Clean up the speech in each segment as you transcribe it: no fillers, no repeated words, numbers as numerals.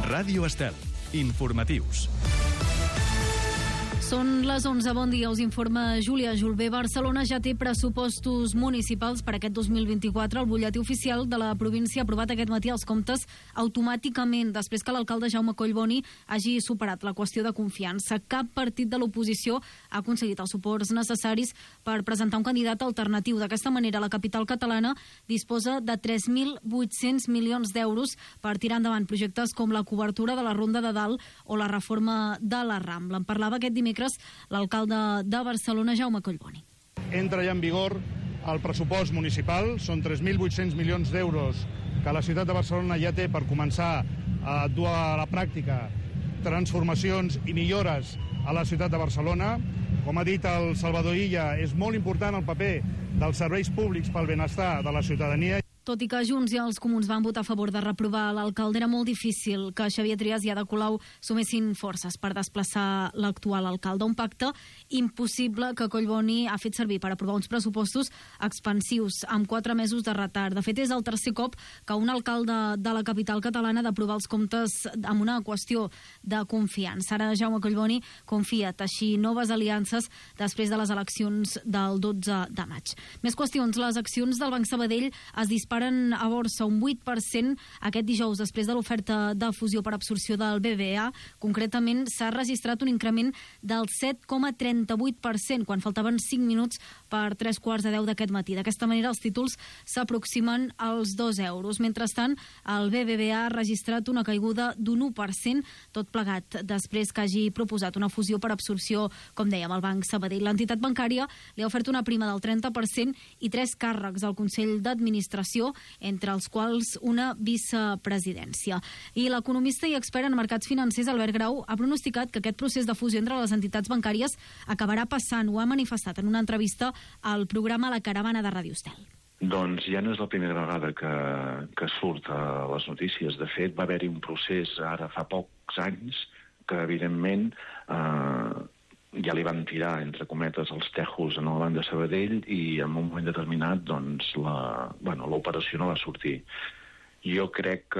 Ràdio Estel. Informatius. Són les 11, bon dia, us informa Júlia Julbé. Barcelona ja té pressupostos municipals per aquest 2024. El butlletí oficial de la província ha aprovat aquest matí els comptes automàticament, després que l'alcalde Jaume Collboni hagi superat la qüestió de confiança. Cap partit de l'oposició ha aconseguit els suports necessaris per presentar un candidat alternatiu. D'aquesta manera, la capital catalana disposa de 3.800 milions d'euros per tirar endavant projectes com la cobertura de la Ronda de Dalt o la reforma de la Rambla. En parlava aquest dimecres l'alcalde de Barcelona, Jaume Collboni. Entra ja en vigor el pressupost municipal, són 3.800 milions d'euros que la ciutat de Barcelona ja té per començar a dur a la pràctica transformacions i millores a la ciutat de Barcelona. Com ha dit el Salvador Illa, és molt important el paper dels serveis públics pel benestar de la ciutadania. Tot i que Junts i els Comuns van votar a favor de reprovar l'alcalde, era molt difícil que Xavier Trias i Ada Colau sumessin forces per desplaçar l'actual alcalde. Un pacte impossible que Collboni ha fet servir per aprovar uns pressupostos expansius amb 4 mesos de retard. De fet, és el tercer cop que un alcalde de la capital catalana ha d'aprovar els comptes amb una qüestió de confiança. Ara Jaume Collboni confia teixir noves aliances després de les eleccions del 12 de maig. Més qüestions. Les accions del Banc Sabadell es disparen a borsa un 8% aquest dijous després de l'oferta de fusió per absorció del BBVA. Concretament, s'ha registrat un increment del 7,38% quan faltaven 5 minuts per 3:15 d'aquest matí. D'aquesta manera, els títols s'aproximen als 2 euros. Mentrestant, el BBVA ha registrat una caiguda d'un 1%, tot plegat després que hagi proposat una fusió per absorció, com dèiem, al Banc Sabadell. L'entitat bancària li ha ofert una prima del 30% i 3 càrrecs al Consell d'Administració, entre els quals una vicepresidència. I l'economista i expert en mercats financers Albert Grau ha pronosticat que aquest procés de fusió entre les entitats bancàries acabarà passant. Ho ha manifestat en una entrevista al programa La Caravana de Ràdio Estel. Doncs ja no és la primera vegada que surt a les notícies. De fet, va haver-hi un procés ara fa pocs anys que, evidentment, ja li van tirar, entre cometes, els tejos en el Banc de Sabadell i en un moment determinat doncs, l'operació no va sortir. Jo crec que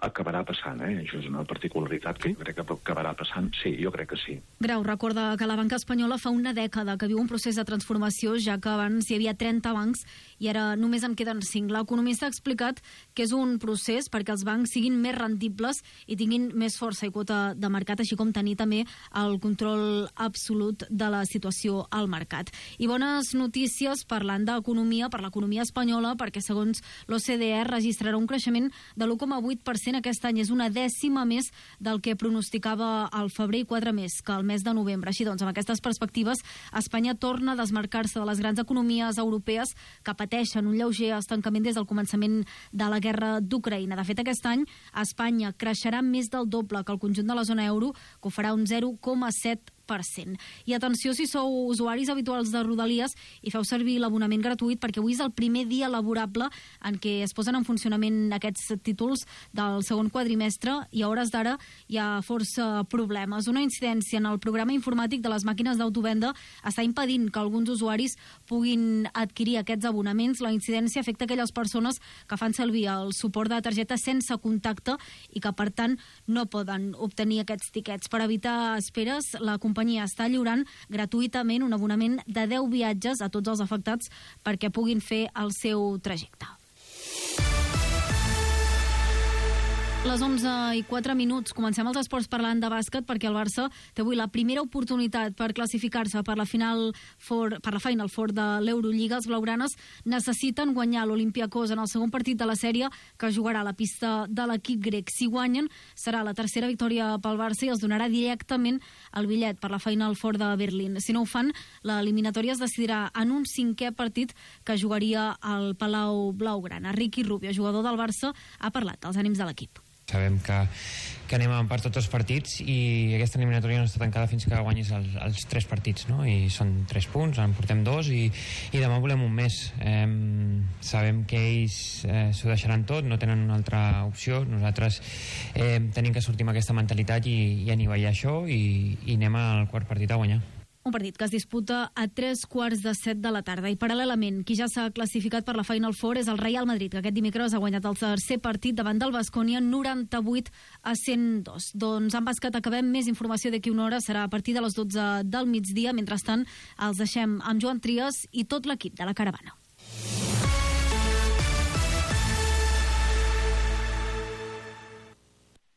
acabarà passant, Això és una particularitat que crec que acabarà passant. Sí, jo crec que sí. Grau recorda que la banca espanyola fa una dècada que viu un procés de transformació, ja que abans hi havia 30 bancs i ara només en queden 5. L'economista ha explicat que és un procés perquè els bancs siguin més rendibles i tinguin més força i quota de mercat, així com tenir també el control absolut de la situació al mercat. I bones notícies parlant d'economia per l'economia espanyola, perquè segons l'OCDE registrarà un creixement de l'1,8% aquest any. És una dècima més del que pronosticava al febrer i 4 més que el mes de novembre. Així doncs, amb aquestes perspectives, Espanya torna a desmarcar-se de les grans economies europees que pateixen un lleuger estancament des del començament de la guerra d'Ucraïna. De fet, aquest any Espanya creixerà més del doble que el conjunt de la zona euro, que ho farà un 0,7%. I atenció si sou usuaris habituals de Rodalies i feu servir l'abonament gratuït, perquè avui és el primer dia laborable en què es posen en funcionament aquests títols del segon quadrimestre i a hores d'ara hi ha força problemes. Una incidència en el programa informàtic de les màquines d'autovenda està impedint que alguns usuaris puguin adquirir aquests abonaments. La incidència afecta aquelles persones que fan servir el suport de targeta sense contacte i que, per tant, no poden obtenir aquests tiquets. Per evitar esperes, la companyia està lliurant gratuïtament un abonament de 10 viatges a tots els afectats perquè puguin fer el seu trajecte. Les 11:04. Comencem els esports parlant de bàsquet, perquè el Barça té avui la primera oportunitat per classificar-se per la Final Four de l'Eurolliga. Els blaugranes necessiten guanyar l'Olympiakos en el segon partit de la sèrie, que jugarà a la pista de l'equip grec. Si guanyen, serà la tercera victòria pel Barça i els donarà directament el bitllet per la Final Four de Berlín. Si no ho fan, l'eliminatòria es decidirà en un 5è partit que jugaria al Palau Blaugrana. Ricky Rubio, jugador del Barça, ha parlat dels ànims de l'equip. Sabem que anem a per tots els partits i aquesta eliminatòria no està tancada fins que guanyis els 3 partits, no? I són 3 punts, en portem 2 i demà volem un més. Sabem que ells s'ho deixaran tot, no tenen una altra opció. Nosaltres tenim que sortir amb aquesta mentalitat i anivellar això i anem al quart partit a guanyar. Un partit que es disputa a 3:15 de la tarda. I paral·lelament, qui ja s'ha classificat per la Final Four és el Real Madrid, que aquest dimecres ha guanyat el tercer partit davant del Baskonia 98-102. Doncs en bàsquet acabem. Més informació d'aquí una hora, serà a partir de les 12 del migdia. Mentrestant, els deixem amb Joan Trias i tot l'equip de la Caravana.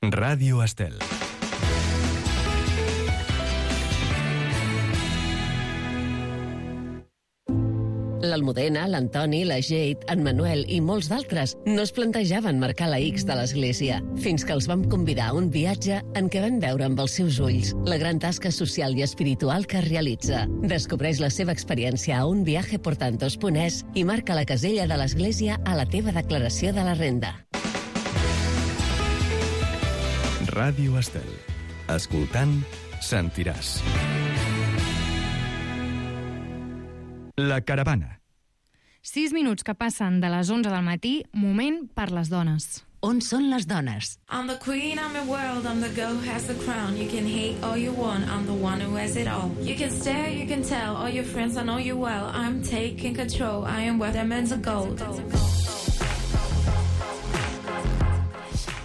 Ràdio Estel. L'Almudena, l'Antoni, la Jade, en Manuel i molts d'altres no es plantejaven marcar la X de l'església, fins que els vam convidar a un viatge en què van veure amb els seus ulls la gran tasca social i espiritual que realitza. Descobreix la seva experiència a unviajeportantos.es i marca la casella de l'església a la teva declaració de la renda. Ràdio Estel. Escoltant, sentiràs. La Caravana. 6 minuts que passen de les 11 del matí, moment per les dones. On són les dones? I'm the queen, I'm the world, I'm the girl who has the crown. You can hate all you want, I'm the one who has it all. You can stare, you can tell, all your friends I know you well. I'm taking control, I am worth diamonds of gold.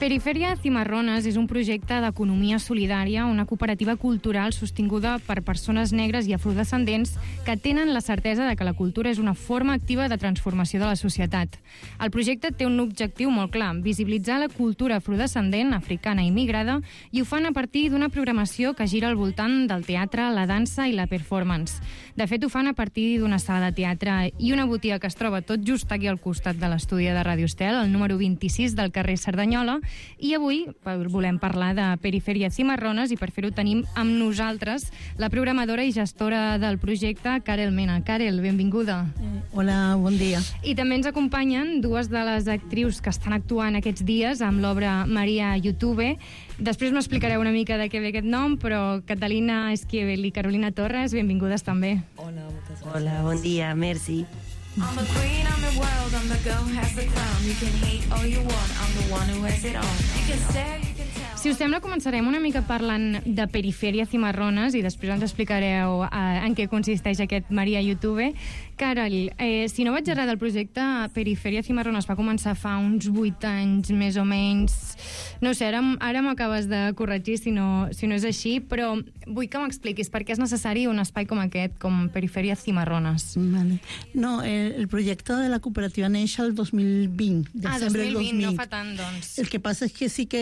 Periferia Cimarrones és un projecte d'economia solidària, una cooperativa cultural sostinguda per persones negres i afrodescendents que tenen la certesa de que la cultura és una forma activa de transformació de la societat. El projecte té un objectiu molt clar, visibilitzar la cultura afrodescendent, africana i migrada, i ho fan a partir d'una programació que gira al voltant del teatre, la dansa i la performance. De fet, ho fan a partir d'una sala de teatre i una botiga que es troba tot just aquí al costat de l'estudi de Ràdio Estel, el número 26 del carrer Cerdanyola, i avui volem parlar de Periferia Cimarrones i per fer-ho tenim amb nosaltres la programadora i gestora del projecte, Karel Mena. Karel, benvinguda. Hola, bon dia. I també ens acompanyen dues de les actrius que estan actuant aquests dies amb l'obra Maria YouTube. Després m'explicareu una mica de què ve aquest nom, però Catalina Esquivel i Carolina Torres, benvingudes també. Hola, moltes gràcies. Hola, bon dia, merci. I'm the queen, I'm the world, I'm the girl who has the crown. You can hate all you want, I'm the one who has it all. You can stare, you can tell. Si us sembla, començarem una mica parlant de Periferia Cimarrones i després ens explicareu en què consisteix aquest Maria YouTube. Carol, si no vaig errar del projecte, Periferia Cimarrones va començar fa uns 8 anys, més o menys. No sé, ara m'acabes de corregir si no és així, però vull que m'expliquis per què és necessari un espai com aquest, com Periferia Cimarrones. Vale. No, el projecte de la cooperativa neix el 2020. 2020, no fa tant, doncs. El que passa és que sí que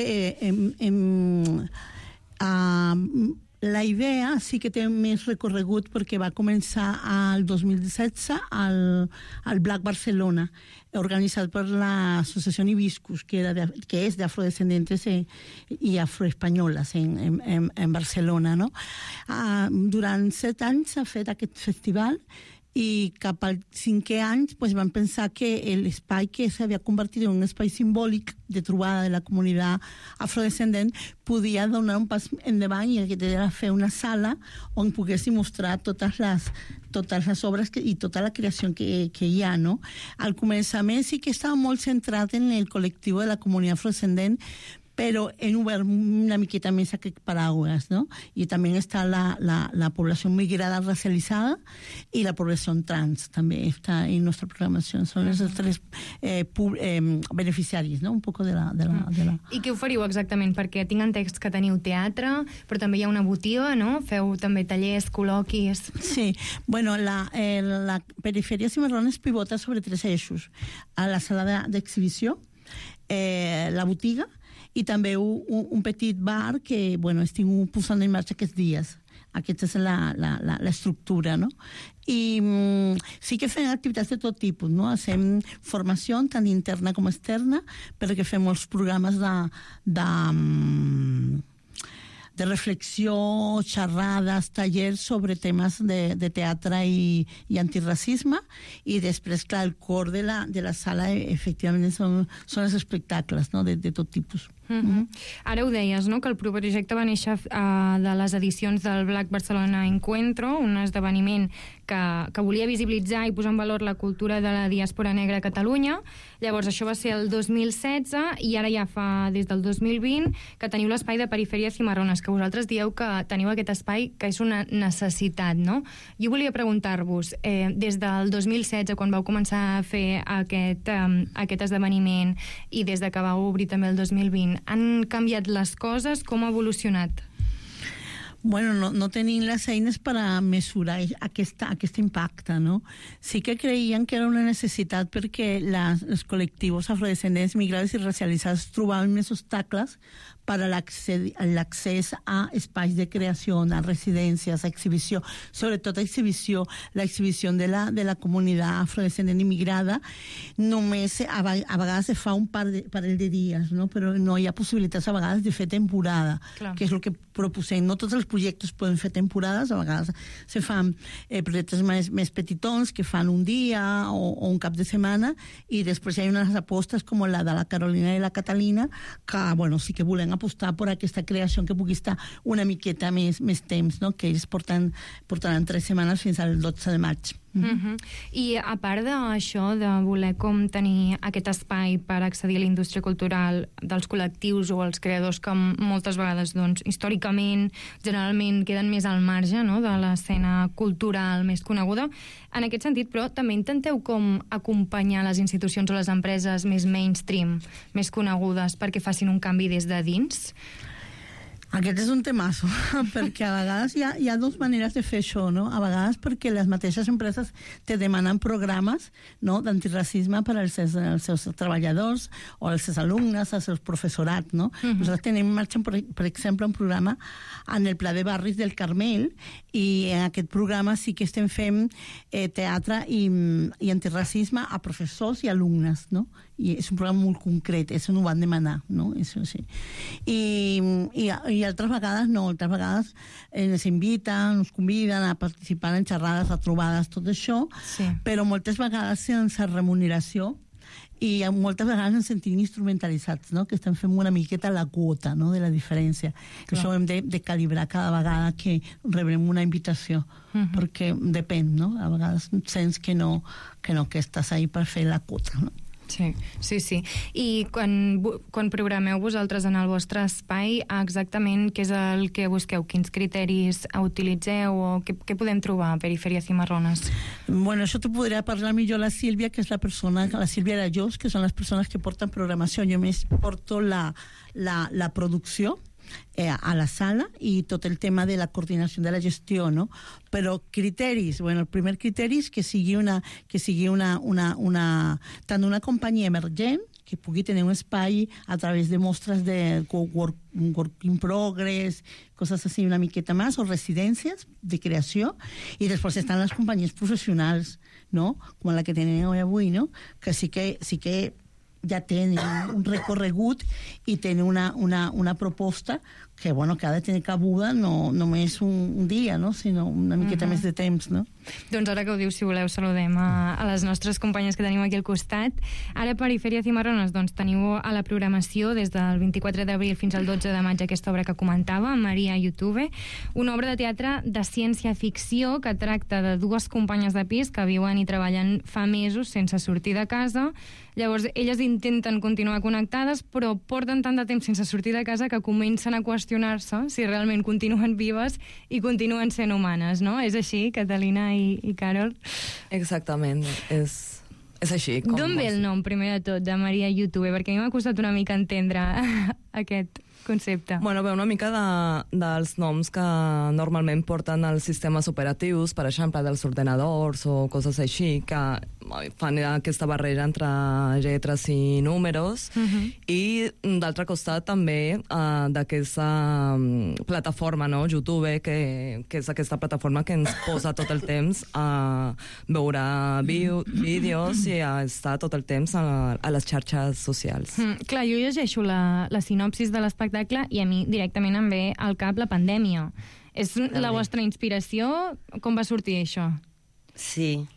la idea sí que té més recorregut perquè va començar el 2016 al Black Barcelona, organitzat per l'associació Hibiscus, que és d'afrodescendentes i afroespanyoles en Barcelona, no? Durant 7 anys s'ha fet aquest festival i cap al 5è any van pensar que l'espai que s'havia convertit en un espai simbòlic de trobada de la comunitat afrodescendent podia donar un pas endavant i que era fer una sala on poguéssim mostrar totes les obres i tota la creació que hi ha, no? Al començament sí que estava molt centrat en el col·lectiu de la comunitat afrodescendent, però hem obert una miqueta més aquest paraigües, no? I també està la població migrada racialitzada i la població trans, també està en nostra programació. Són els 3 beneficiaris, no? Un poc de la... I què oferiu exactament? Perquè tinc entès que teniu teatre, però també hi ha una botiga, no? Feu també tallers, col·loquis... Sí, bueno, la Periferia Cimarrones pivota sobre 3 eixos. A la sala d'exhibició, la botiga, i també un petit bar que, estic posant en marxa aquests dies. Aquesta és l'estructura, no? I sí que fem activitats de tot tipus, no? Fem formació tant interna com externa, perquè fem molts programes de reflexió, xerrades, tallers sobre temes de teatre i antiracisme, i després, clar, el cor de la sala efectivament són els espectacles, no? De tot tipus. Ara ho deies, no?, que el projecte va néixer de les edicions del Black Barcelona Encuentro, un esdeveniment que volia visibilitzar i posar en valor la cultura de la diàspora negra a Catalunya. Llavors, això va ser el 2016 i ara ja fa des del 2020 que teniu l'espai de Perifèria Cimarrones, que vosaltres dieu que teniu aquest espai que és una necessitat, no? Jo volia preguntar-vos, des del 2016, quan vau començar a fer aquest esdeveniment i des de que vau obrir també el 2020, han canviat les coses? Com ha evolucionat? Bueno, no tenim les eines per a mesurar aquest impacte, no? Sí que creien que era una necessitat perquè els col·lectius afrodescendents, migrants i racialitzats trobaven més obstacles per a l'accés a espais de creació, a residències, a exhibició, sobretot a exhibició, l'exhibició de la comunitat afrodescendent immigrada, només a vegades se fa un parell de dies, no? Però no hi ha possibilitats a vegades de fer temporada, que és el que proposem. No tots els projectes poden fer temporades, a vegades se fan projectes més petitons que fan un dia o un cap de setmana, i després hi ha unes apostes com la de la Carolina i la Catalina que, bueno, sí que volem apostar per aquesta creació que pugui estar una miqueta més temps, no? Que ells portaran 3 setmanes fins al 12 de maig. I a part d'això, de voler com tenir aquest espai per accedir a la indústria cultural dels col·lectius o els creadors que moltes vegades, doncs, històricament, generalment queden més al marge, no?, de l'escena cultural més coneguda, en aquest sentit, però, també intenteu com acompanyar les institucions o les empreses més mainstream, més conegudes, perquè facin un canvi des de dins? Aquest és un temazo, perquè a vegades hi ha dues maneres de fer això, no? A vegades perquè les mateixes empreses te demanen programes, no?, d'antiracisme per als seus treballadors o als seus alumnes, als seus professorat, no? Nosaltres tenim en marxa, per exemple, un programa en el Pla de Barris del Carmel, i en aquest programa sí que estem fent teatre i antiracisme a professors i alumnes, no? I és un programa molt concret, això no ho van demanar, no? Això sí. I altres vegades no, altres vegades ens inviten, ens conviden a participar en xerrades, a trobades, tot això, però moltes vegades sense remuneració, i moltes vegades ens sentim instrumentalitzats, no?, que estem fent una miqueta la quota, no?, de la diferència. Això ho hem de calibrar cada vegada que rebrem una invitació, perquè depèn, no? A vegades sents que estàs ahí per fer la quota, no? Sí. I quan programeu vosaltres en el vostre espai, exactament què és el que busqueu? Quins criteris utilitzeu o què podem trobar a Perifèria Cimarrones? Bueno, això t'ho podria parlar millor la Sílvia, que és la Sílvia Arajós, que són les persones que porten programació. Jo més porto la producció a la sala i tot el tema de la coordinació de la gestió, no? Però criteris, bueno, el primer criteri és que sigui tant una companyia emergent, que pugui tenir un espai a través de mostres de work in progress, coses així una miqueta més, o residències de creació, i després estan les companyies professionals, no?, com la que tenim avui, no?, que sí que ja tenen un recorregut i tenen una proposta que, bueno, que ha de tenir cabuda no només un dia, no?, sinó una miqueta més de temps, no? Doncs ara que ho dius, si voleu, saludem a les nostres companyes que tenim aquí al costat. Ara a Perifèria Cimarrones, doncs, teniu a la programació des del 24 d'abril fins al 12 de maig aquesta obra que comentava, Maria YouTube, una obra de teatre de ciència-ficció que tracta de dues companyes de pis que viuen i treballen fa mesos sense sortir de casa. Llavors, elles intenten continuar connectades, però porten tant de temps sense sortir de casa que comencen a qüestionar-se si realment continuen vives i continuen sent humanes, no? És així, Catalina i Carol? Exactament, és així. D'on ve el nom, primer de tot, de Maria YouTube? Perquè a mi m'ha costat una mica entendre aquest concepte. Bueno, ve una mica dels noms que normalment porten els sistemes operatius, per exemple, dels ordenadors o coses així, que fan aquesta barrera entre lletres i números, i d'altre costat també d'aquesta plataforma, no?, YouTube, que és aquesta plataforma que ens posa tot el temps a veure vídeos i a estar tot el temps a les xarxes socials. Clar, jo llegeixo la sinopsis de l'espectacle i a mi directament em ve al cap la pandèmia. És la vostra inspiració? Com va sortir això? Sí,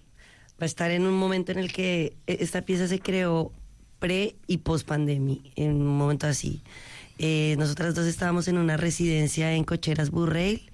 va estar en un momento en el que esta pieza se creó pre y post pandemia, en un momento así. Nosotras dos estábamos en una residencia en Cocheras Burrail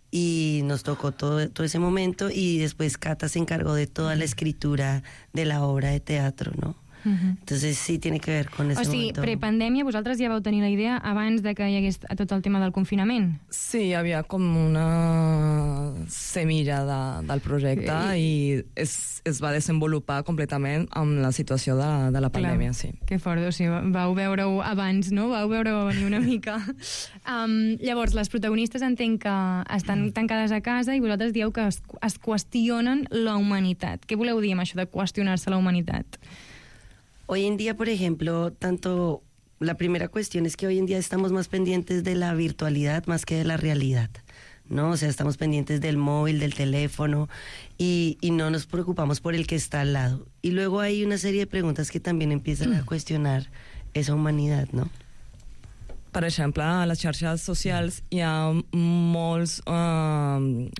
y nos tocó todo ese momento, y después Cata se encargó de toda la escritura de la obra de teatro, ¿no? Entonces sí tiene que ver con ese momento. Prepandèmia, vosaltres ja vau tenir la idea abans de que hi hagués tot el tema del confinament? Sí, hi havia com una semilla del projecte i es va desenvolupar completament amb la situació de la pandèmia, sí. Que fort, o sigui, vau veure-ho abans, no? Vau veure-ho venir una mica. Llavors, les protagonistes entenc que estan tancades a casa i vosaltres dieu que es qüestionen la humanitat. Què voleu dir amb això de qüestionar-se la humanitat? Hoy en día, por ejemplo, la primera cuestión es que hoy en día estamos más pendientes de la virtualidad más que de la realidad, ¿no? O sea, estamos pendientes del móvil, del teléfono, y no nos preocupamos por el que está al lado. Y luego hay una serie de preguntas que también empiezan a cuestionar esa humanidad, ¿no? Per exemple, a les xarxes socials hi ha molts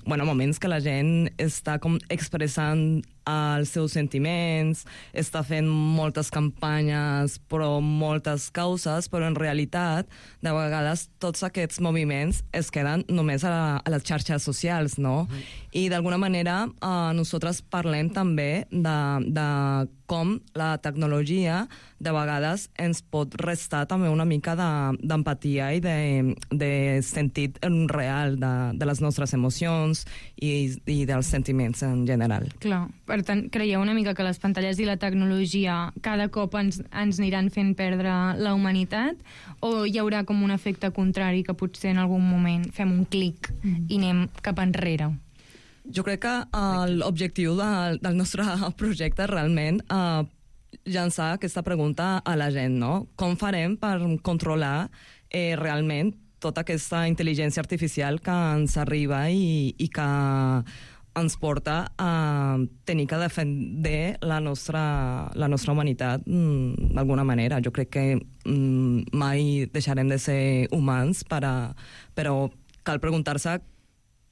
moments que la gent està com expressant els seus sentiments, està fent moltes campanyes, però moltes causes, però en realitat, de vegades, tots aquests moviments es queden només a les xarxes socials, no? I d'alguna manera nosaltres parlem també de com la tecnologia de vegades ens pot restar també una mica d'empatia i de sentit real de les nostres emocions i dels sentiments en general. Clar, per tant, creieu una mica que les pantalles i la tecnologia cada cop ens aniran fent perdre la humanitat, o hi haurà com un efecte contrari que potser en algun moment fem un clic i anem cap enrere? Jo crec que l'objectiu del nostre projecte realment llançar aquesta pregunta a la gent, no? Com farem per controlar realment tota aquesta intel·ligència artificial que ens arriba i que ens porta a tenir que defender la nostra humanitat d'alguna manera. Jo crec que mai deixarem de ser humans, però cal preguntar-se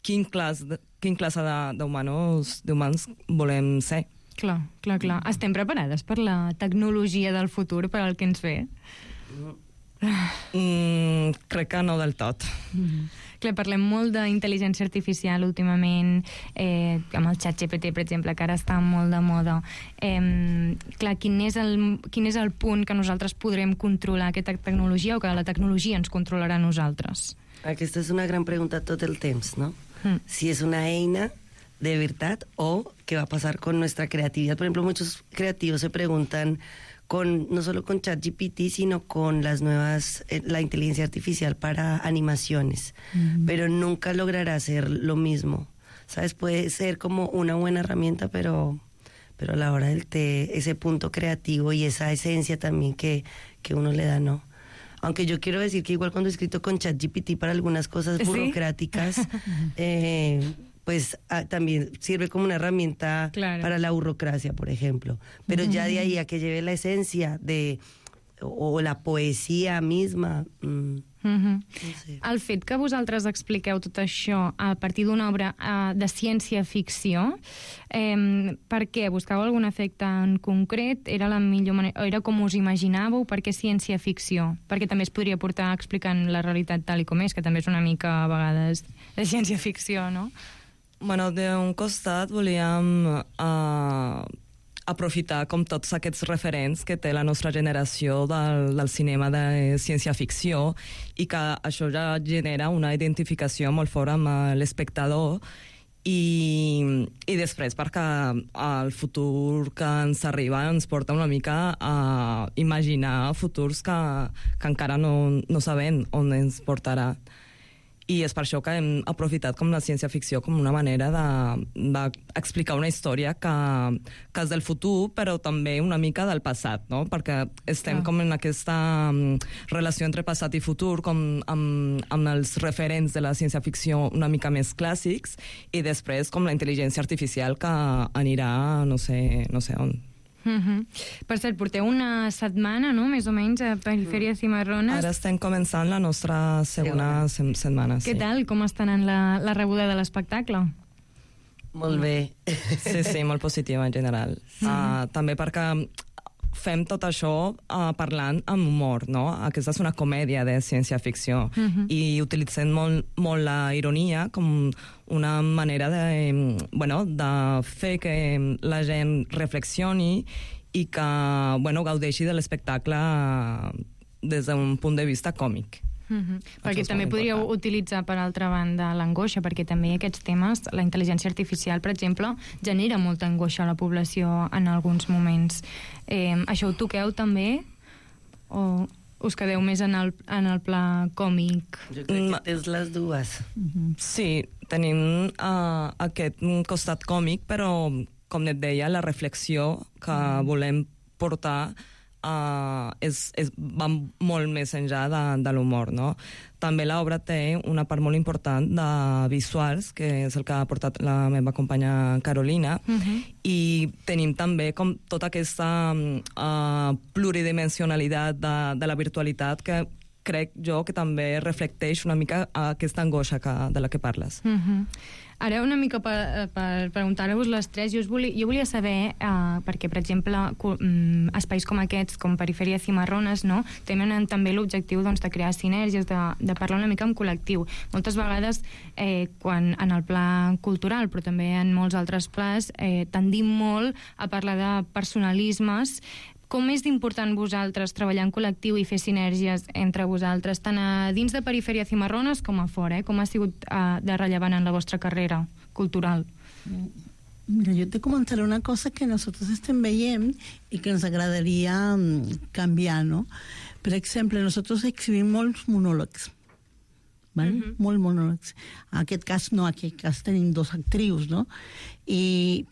quin classe d'humans volem ser. Clar. Estem preparades per la tecnologia del futur, per al que ens ve? Crec que no del tot. Clar, parlem molt d'intel·ligència artificial últimament, amb el ChatGPT, per exemple, que ara està molt de moda. Clar, quin és el punt que nosaltres podrem controlar aquesta tecnologia, o que la tecnologia ens controlarà a nosaltres? Aquesta és una gran pregunta tot el temps, ¿no? Si es una eina de verdad o qué va a pasar con nuestra creatividad. Por ejemplo, muchos creativos se preguntan no solo con ChatGPT, sino con las nuevas, la inteligencia artificial para animaciones, pero nunca logrará hacer lo mismo, ¿sabes? Puede ser como una buena herramienta, pero a la hora del té, ese punto creativo y esa esencia también que uno le da, ¿no? Aunque yo quiero decir que igual cuando he escrito con ChatGPT para algunas cosas burocráticas, pues también sirve como una herramienta para la burocracia, por ejemplo. Pero ya de ahí a que lleve la esencia o la poesia misma... No sé. El fet que vosaltres expliqueu tot això a partir d'una obra de ciència-ficció, per què? Buscàveu algun efecte en concret? Era la millor manera, era com us imaginàveu? Per què ciència-ficció? Perquè també es podria portar explicant la realitat tal i com és, que també és una mica a vegades de ciència-ficció, no? Bueno, d'un costat volíem aprofitar com tots aquests referents que té la nostra generació del cinema de ciència-ficció i que això ja genera una identificació molt fort amb l'espectador i després perquè el futur que ens arriba ens porta una mica a imaginar futurs que encara no sabem on ens portarà. I és per això que hem aprofitat com la ciència-ficció com una manera d'explicar una història que és del futur, però també una mica del passat, no? Perquè estem com en aquesta relació entre passat i futur, com amb els referents de la ciència-ficció una mica més clàssics, i després com la intel·ligència artificial que anirà no sé on. Per cert, porteu una setmana, no?, més o menys, a Perifèria Cimarrones. Ara estem començant la nostra segona setmana. Què tal? Com està anant la rebuda de l'espectacle? Molt bé. Sí, molt positiva en general. També perquè fem tot això parlant amb humor, no? Aquesta és una comèdia de ciència-ficció i utilitzem molt la ironia com una manera de fer que la gent reflexioni i que gaudeixi de l'espectacle des d'un punt de vista còmic. Perquè també podríeu utilitzar, per altra banda, l'angoixa, perquè també aquests temes, la intel·ligència artificial, per exemple, genera molta angoixa a la població en alguns moments. Això ho toqueu també? O us quedeu més en el pla còmic? Jo crec que tens les dues. Sí, tenim aquest costat còmic, però, com et deia, la reflexió que volem portar va molt més enllà de l'humor, no? També l'obra té una part molt important de visuals, que és el que ha portat la meva companya Carolina, i tenim també com tota aquesta pluridimensionalitat de la virtualitat que crec jo que també reflecteix una mica aquesta angoixa de la que parles. Ara una mica per preguntar-vos les tres, jo volia saber, perquè, per exemple, espais com aquests, com Perifèria Cimarrones, no, tenen també l'objectiu de crear sinergies, de parlar una mica en col·lectiu. Moltes vegades, quan en el pla cultural, però també en molts altres plans, tendim molt a parlar de personalismes. Com és d'important vosaltres treballar en col·lectiu i fer sinergies entre vosaltres, tant a dins de Perifèria Cimarrones com a fora? Com ha sigut de rellevant en la vostra carrera cultural? Mira, yo te comentaré una cosa que nosotros estem veient i que ens agradaria canviar, no? Per exemple, nosotros exhibim molts monòlegs, ¿vale? Molt monòlegs. En aquest cas no, en aquest cas tenim 2 actrius, no?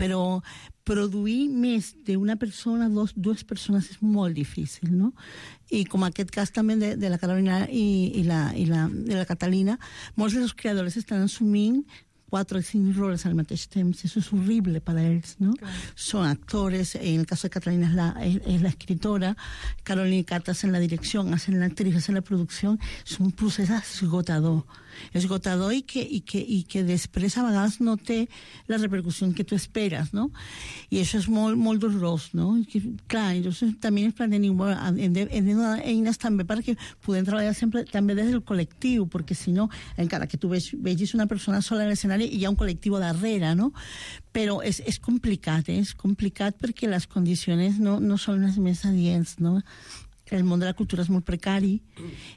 Però produir més d'una persona, dues persones, és molt difícil, no? I com aquest cas també de la Carolina i la Catalina, molts dels creadors estan assumint 4 o 5 roles al mateix temps. Eso es horrible para ells, ¿no? Claro. Son actores, en el caso de Catalina es la escritora, Carolina y Cata hacen la dirección, hacen la actriz, hacen la producción. Es un procés esgotador i que després a vegades no té la repercussió que tu esperes, no? I això és molt, molt dolorós, no? I clar, llavors també ens plantegem, hem de donar eines també perquè podem treballar sempre també des del col·lectiu, perquè si no, encara que tu vegis una persona sola en l'escenari, hi ha un col·lectiu darrere, no? Però és complicat, és complicat perquè les condicions no són les més adients, no? El món de la cultura és molt precari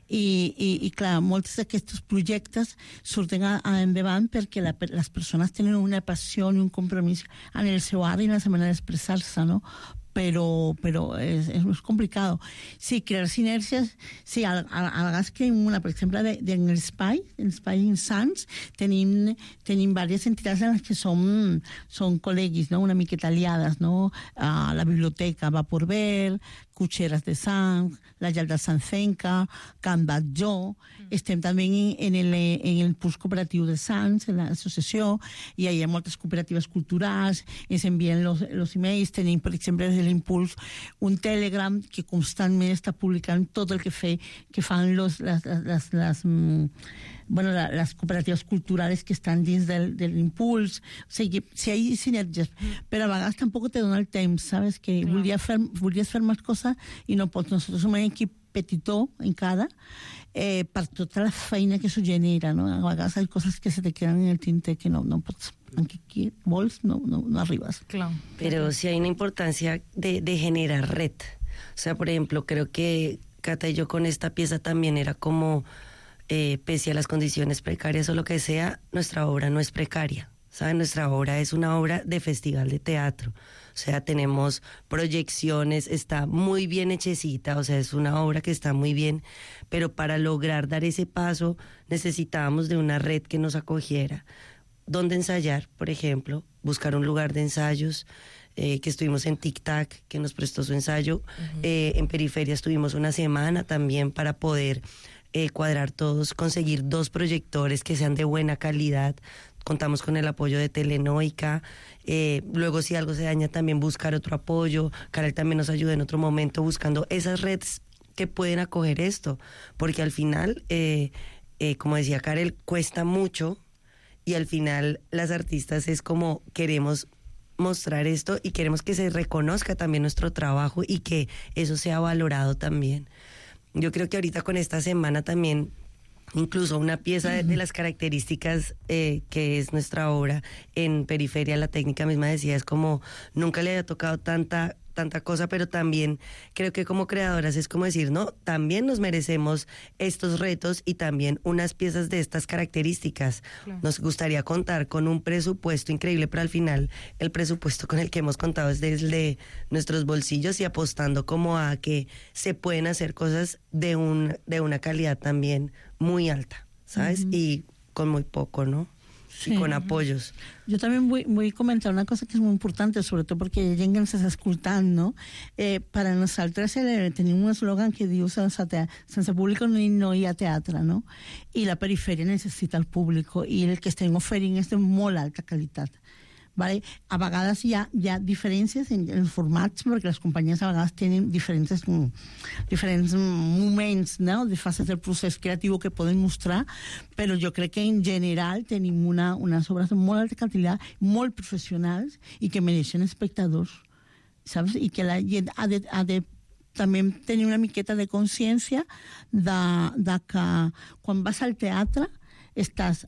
i clar, molts d'aquests projectes surten endavant perquè les persones tenen una passió i un compromís en el seu art i en la manera d'expressar-se, no? Pero es complicado. Sí, crear sinergias, sí, a vegades creem una, per exemple, en l'espai Sants, tenim diverses entitats en les que són col·legis, no? Una miqueta aliades, no? La biblioteca Vapor Verd, Cucheras de Sants, la Llar de Sancenca, Can Batlló, estem també en el Puls Cooperatiu de Sants, en l'associació, i hi ha moltes cooperatives culturals, ens envien los emails, tenim, per exemple, des de l'Impuls, un Telegram que constantment està publicant tot el que fan les cooperatives culturales que estan dins de l'Impuls. O sigui, si hi ha sinergies, però a vegades tampoc te dona el temps, ¿sabes? Que volies fer més coses i no pots. Nosotros som un equip petitó encara, per tota la feina que això genera, no? A vegades hi ha coses que se te quedan en el tinter que no pots, aunque vols, no arribas. Claro. Pero sí hay una importancia de generar red. O sea, por ejemplo, creo que Cata y yo con esta pieza también era como, pese a las condiciones precarias o lo que sea, nuestra obra no es precaria. ¿Saben? Nuestra obra es una obra de festival de teatro. O sea, tenemos proyecciones, está muy bien hechecita, o sea, es una obra que está muy bien, pero para lograr dar ese paso necesitábamos de una red que nos acogiera. ¿Dónde ensayar, por ejemplo? Buscar un lugar de ensayos, que estuvimos en Tic Tac, que nos prestó su ensayo. En Periferia estuvimos una semana también para poder cuadrar todos, conseguir 2 proyectores que sean de buena calidad. Contamos con el apoyo de Telenoica. Luego, si algo se daña, también buscar otro apoyo. Karel también nos ayuda en otro momento buscando esas redes que pueden acoger esto, porque al final, como decía Karel, cuesta mucho y al final las artistas es como queremos mostrar esto y queremos que se reconozca también nuestro trabajo y que eso sea valorado también. Yo creo que ahorita con esta semana también, incluso una pieza de las características que es nuestra obra en Periferia, la técnica misma decía, es como nunca le había tocado tanta cosa, pero también creo que como creadoras es como decir, no, también nos merecemos estos retos y también unas piezas de estas características. Claro. Nos gustaría contar con un presupuesto increíble, pero al final el presupuesto con el que hemos contado es desde nuestros bolsillos y apostando como a que se pueden hacer cosas de una calidad también muy alta, ¿sabes? Y con muy poco, ¿no? Sí. Y con apoyos. Jo també vull comentar una cosa que és molt important, sobretot perquè hi ha gent que ens està escoltant, no? Per a nosaltres tenim un eslògan que diu sense públic no hi ha teatre, no? I la perifèria necessita el públic i el que estem oferint és de molt alta qualitat. Vale? A vegades hi ha diferències en els formats, perquè les companyies a vegades tenen diferents moments, no? De fases del procés creatiu que poden mostrar, però jo crec que en general tenim unes obres de molt alta qualitat, molt professionals i que mereixen espectadors, saps? I que la gent ha de també tenir una miqueta de consciència de que quan vas al teatre estàs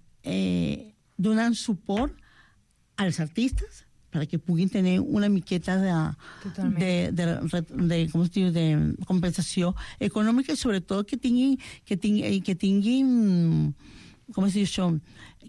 donant suport als artistes perquè puguin tenir una miqueta de compensació econòmica i sobretot que tinguin com es diu això,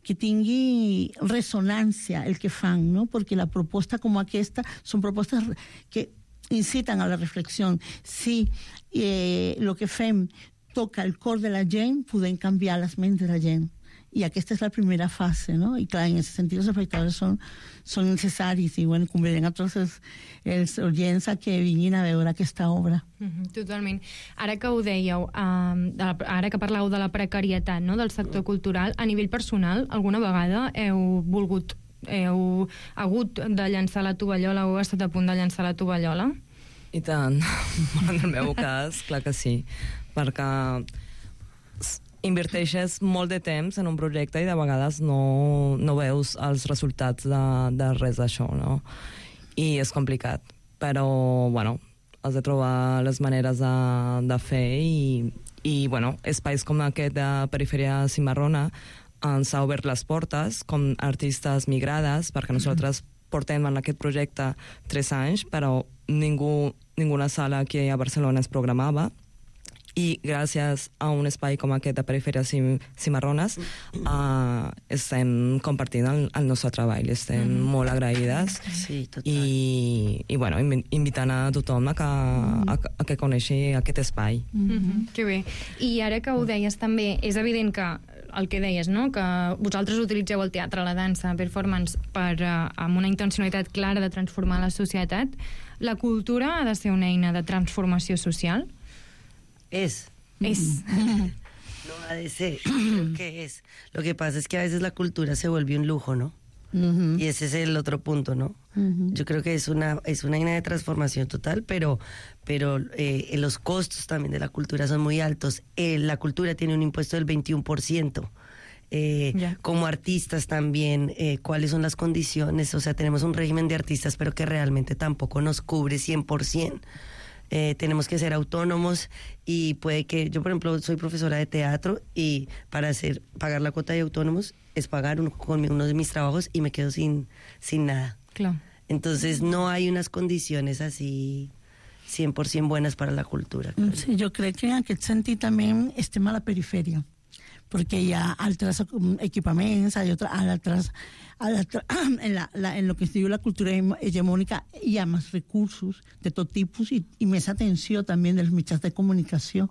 que tingui ressonància el que fan, no? Perquè la proposta com aquesta són propostes que inciten a la reflexió. Si el que fem toca el cor de la gent, podem canviar les ments de la gent. I aquesta és la primera fase, no? I clar, en aquest sentit els espectadors són necessaris i bueno, convidem a tots els oients a que vinguin a veure aquesta obra. Totalment. Ara que ho dèieu, ara que parlàveu de la precarietat, no?, del sector cultural, a nivell personal, alguna vegada heu hagut de llançar la tovallola o heu estat a punt de llançar la tovallola? I tant. En el meu cas, clar que sí. Perquè inverteixes molt de temps en un projecte i de vegades no veus els resultats de res d'això, no? I és complicat. Però, bueno, has de trobar les maneres de fer i bueno, espais com aquest de Perifèria Cimarrona ens ha obert les portes com artistes migrades, perquè nosaltres portem en aquest projecte 3 anys, però ninguna sala aquí a Barcelona es programava. I gràcies a un espai com aquest de Perifèria Cimarrones estem compartint el nostre treball, estem molt agraïdes i bueno, invitant a tothom a que coneixi aquest espai. Que bé. I ara que ho deies també, és evident que el que deies, no?, que vosaltres utilitzeu el teatre, la dansa, performance, amb una intencionalitat clara de transformar la societat. La cultura ha de ser una eina de transformació social? Es. No ha de ser, creo que es. Lo que pasa es que a veces la cultura se vuelve un lujo, ¿no? Y ese es el otro punto, ¿no? Yo creo que es una línea de transformación total, pero los costos también de la cultura son muy altos. La cultura tiene un impuesto del 21%. Como artistas también, cuáles son las condiciones. O sea, tenemos un régimen de artistas, pero que realmente tampoco nos cubre 100%. Tenemos que ser autónomos y puede que, yo por ejemplo soy profesora de teatro y para pagar la cuota de autónomos es pagar uno de mis trabajos y me quedo sin nada. Claro. Entonces no hay unas condiciones así 100% buenas para la cultura. Claro. Sí, jo crec que en aquest sentit també estem a la perifèria, perquè hi ha altres equipaments, en lo que es diu la cultura hegemònica hi ha més recursos de tot tipus i més atenció també dels mitjans de comunicació.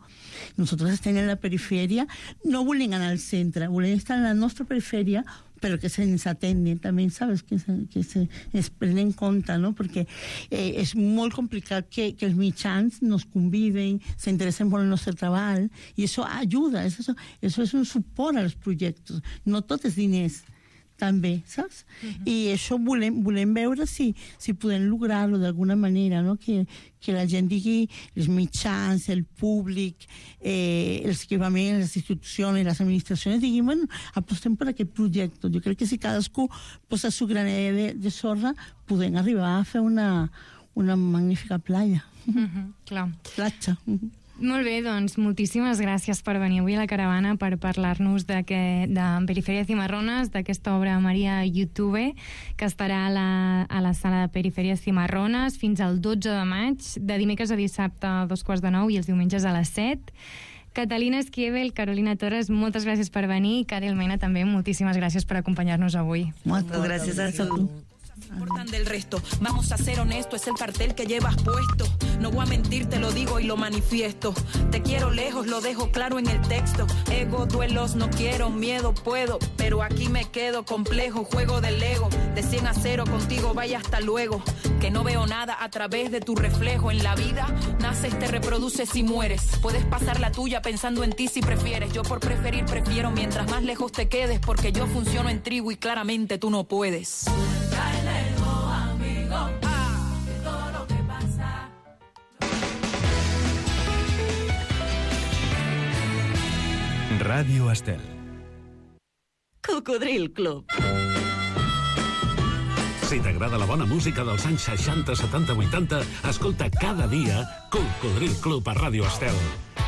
Nosaltres estem en la perifèria, no volem anar al centre, volem estar en la nostra perifèria, però que se'ns atengui també, sabes? Que es prenen en compte, no? Perquè és molt complicat que els mitjans nos conviden, s'interessen molt en el nostre treball, i això ajuda, això és un suport als projectes. No tot és diners, també, saps? I això volem veure si podem lograr-lo d'alguna manera, no? Que la gent digui, els mitjans, el públic, els equipaments, les institucions, les administracions, diguin, bueno, apostem per aquest projecte. Jo crec que si cadascú posa su granet de sorra, podem arribar a fer una magnífica playa. Clar. Platja. Molt bé, doncs moltíssimes gràcies per venir avui a la caravana per parlar-nos de Periferia Cimarrones, d'aquesta obra Maria YouTube, que estarà a la sala de Periferia Cimarrones fins al 12 de maig, de dimecres a dissabte a 2:45 i els diumenges a les 7. Catalina Esquivel, Carolina Torres, moltes gràcies per venir, i Cari Almeina també, moltíssimes gràcies per acompanyar-nos avui. Moltes gràcies a tu. Importan del resto, vamos a ser honestos, es el cartel que llevas puesto. No voy a mentir, te lo digo y lo manifiesto. Te quiero lejos, lo dejo claro en el texto. Ego, duelos, no quiero, miedo, puedo, pero aquí me quedo, complejo, juego del ego. De 100 a 0 contigo, vaya hasta luego. Que no veo nada a través de tu reflejo. En la vida, naces, te reproduces y mueres. Puedes pasar la tuya pensando en ti si prefieres. Yo por preferir prefiero mientras más lejos te quedes, porque yo funciono en tribu y claramente tú no puedes. Ràdio Estel. Cocodril Club. Si t'agrada la bona música dels anys 60, 70, 80, escolta cada dia Cocodril Club a Ràdio Estel.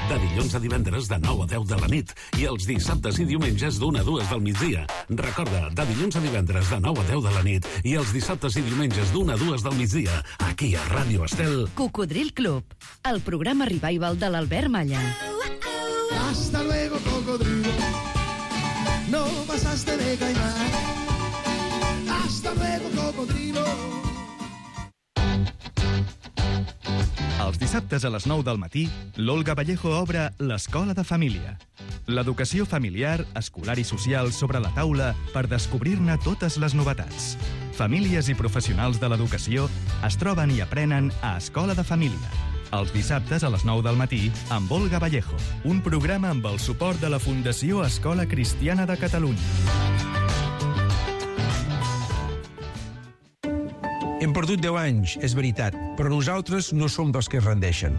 De dilluns a divendres de 9 a 10 de la nit i els dissabtes i diumenges d'1 a 2 del migdia. Recorda, de dilluns a divendres de 9 a 10 de la nit i els dissabtes i diumenges d'1 a 2 del migdia, aquí a Ràdio Estel. Cocodril Club, el programa revival de l'Albert Malla. Hasta luego, cocodrilo. No pasaste de caimán. Hasta luego, cocodrilo. Els dissabtes a les 9 del matí, l'Olga Vallejo obre l'Escola de Família. L'educació familiar, escolar i social sobre la taula per descobrir-ne totes les novetats. Famílies i professionals de l'educació es troben i aprenen a Escola de Família. Els dissabtes a les 9 del matí, amb Olga Vallejo. Un programa amb el suport de la Fundació Escola Cristiana de Catalunya. Hem perdut 10 anys, és veritat, però nosaltres no som dels que es rendeixen,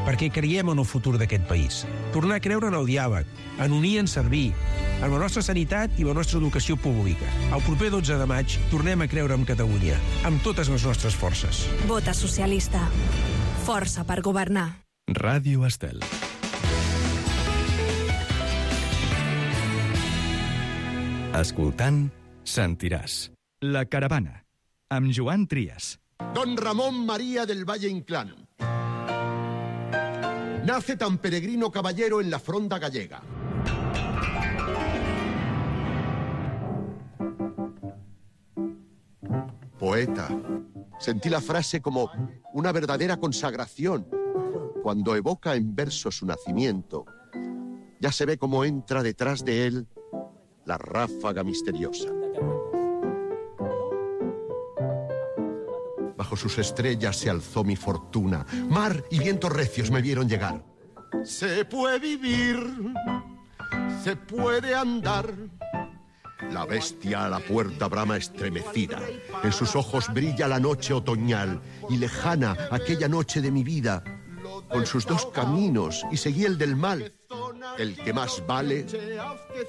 perquè creiem en el futur d'aquest país. Tornar a creure en el diàleg, en unir i en servir, en la nostra sanitat i la nostra educació pública. El proper 12 de maig tornem a creure en Catalunya, amb totes les nostres forces. Vota socialista. Força per governar. Ràdio Estel. Escoltant, sentiràs. La caravana, amb Joan Trias. Don Ramón María del Valle Inclán. Nace tan peregrino caballero en la fronda gallega. Poeta. Sentí la frase como una verdadera consagración. Cuando evoca en verso su nacimiento, ya se ve cómo entra detrás de él la ráfaga misteriosa. Bajo sus estrellas se alzó mi fortuna. Mar y vientos recios me vieron llegar. Se puede vivir, se puede andar. La bestia a la puerta brama estremecida. En sus ojos brilla la noche otoñal y lejana aquella noche de mi vida. Con sus dos caminos y seguí el del mal. El que más vale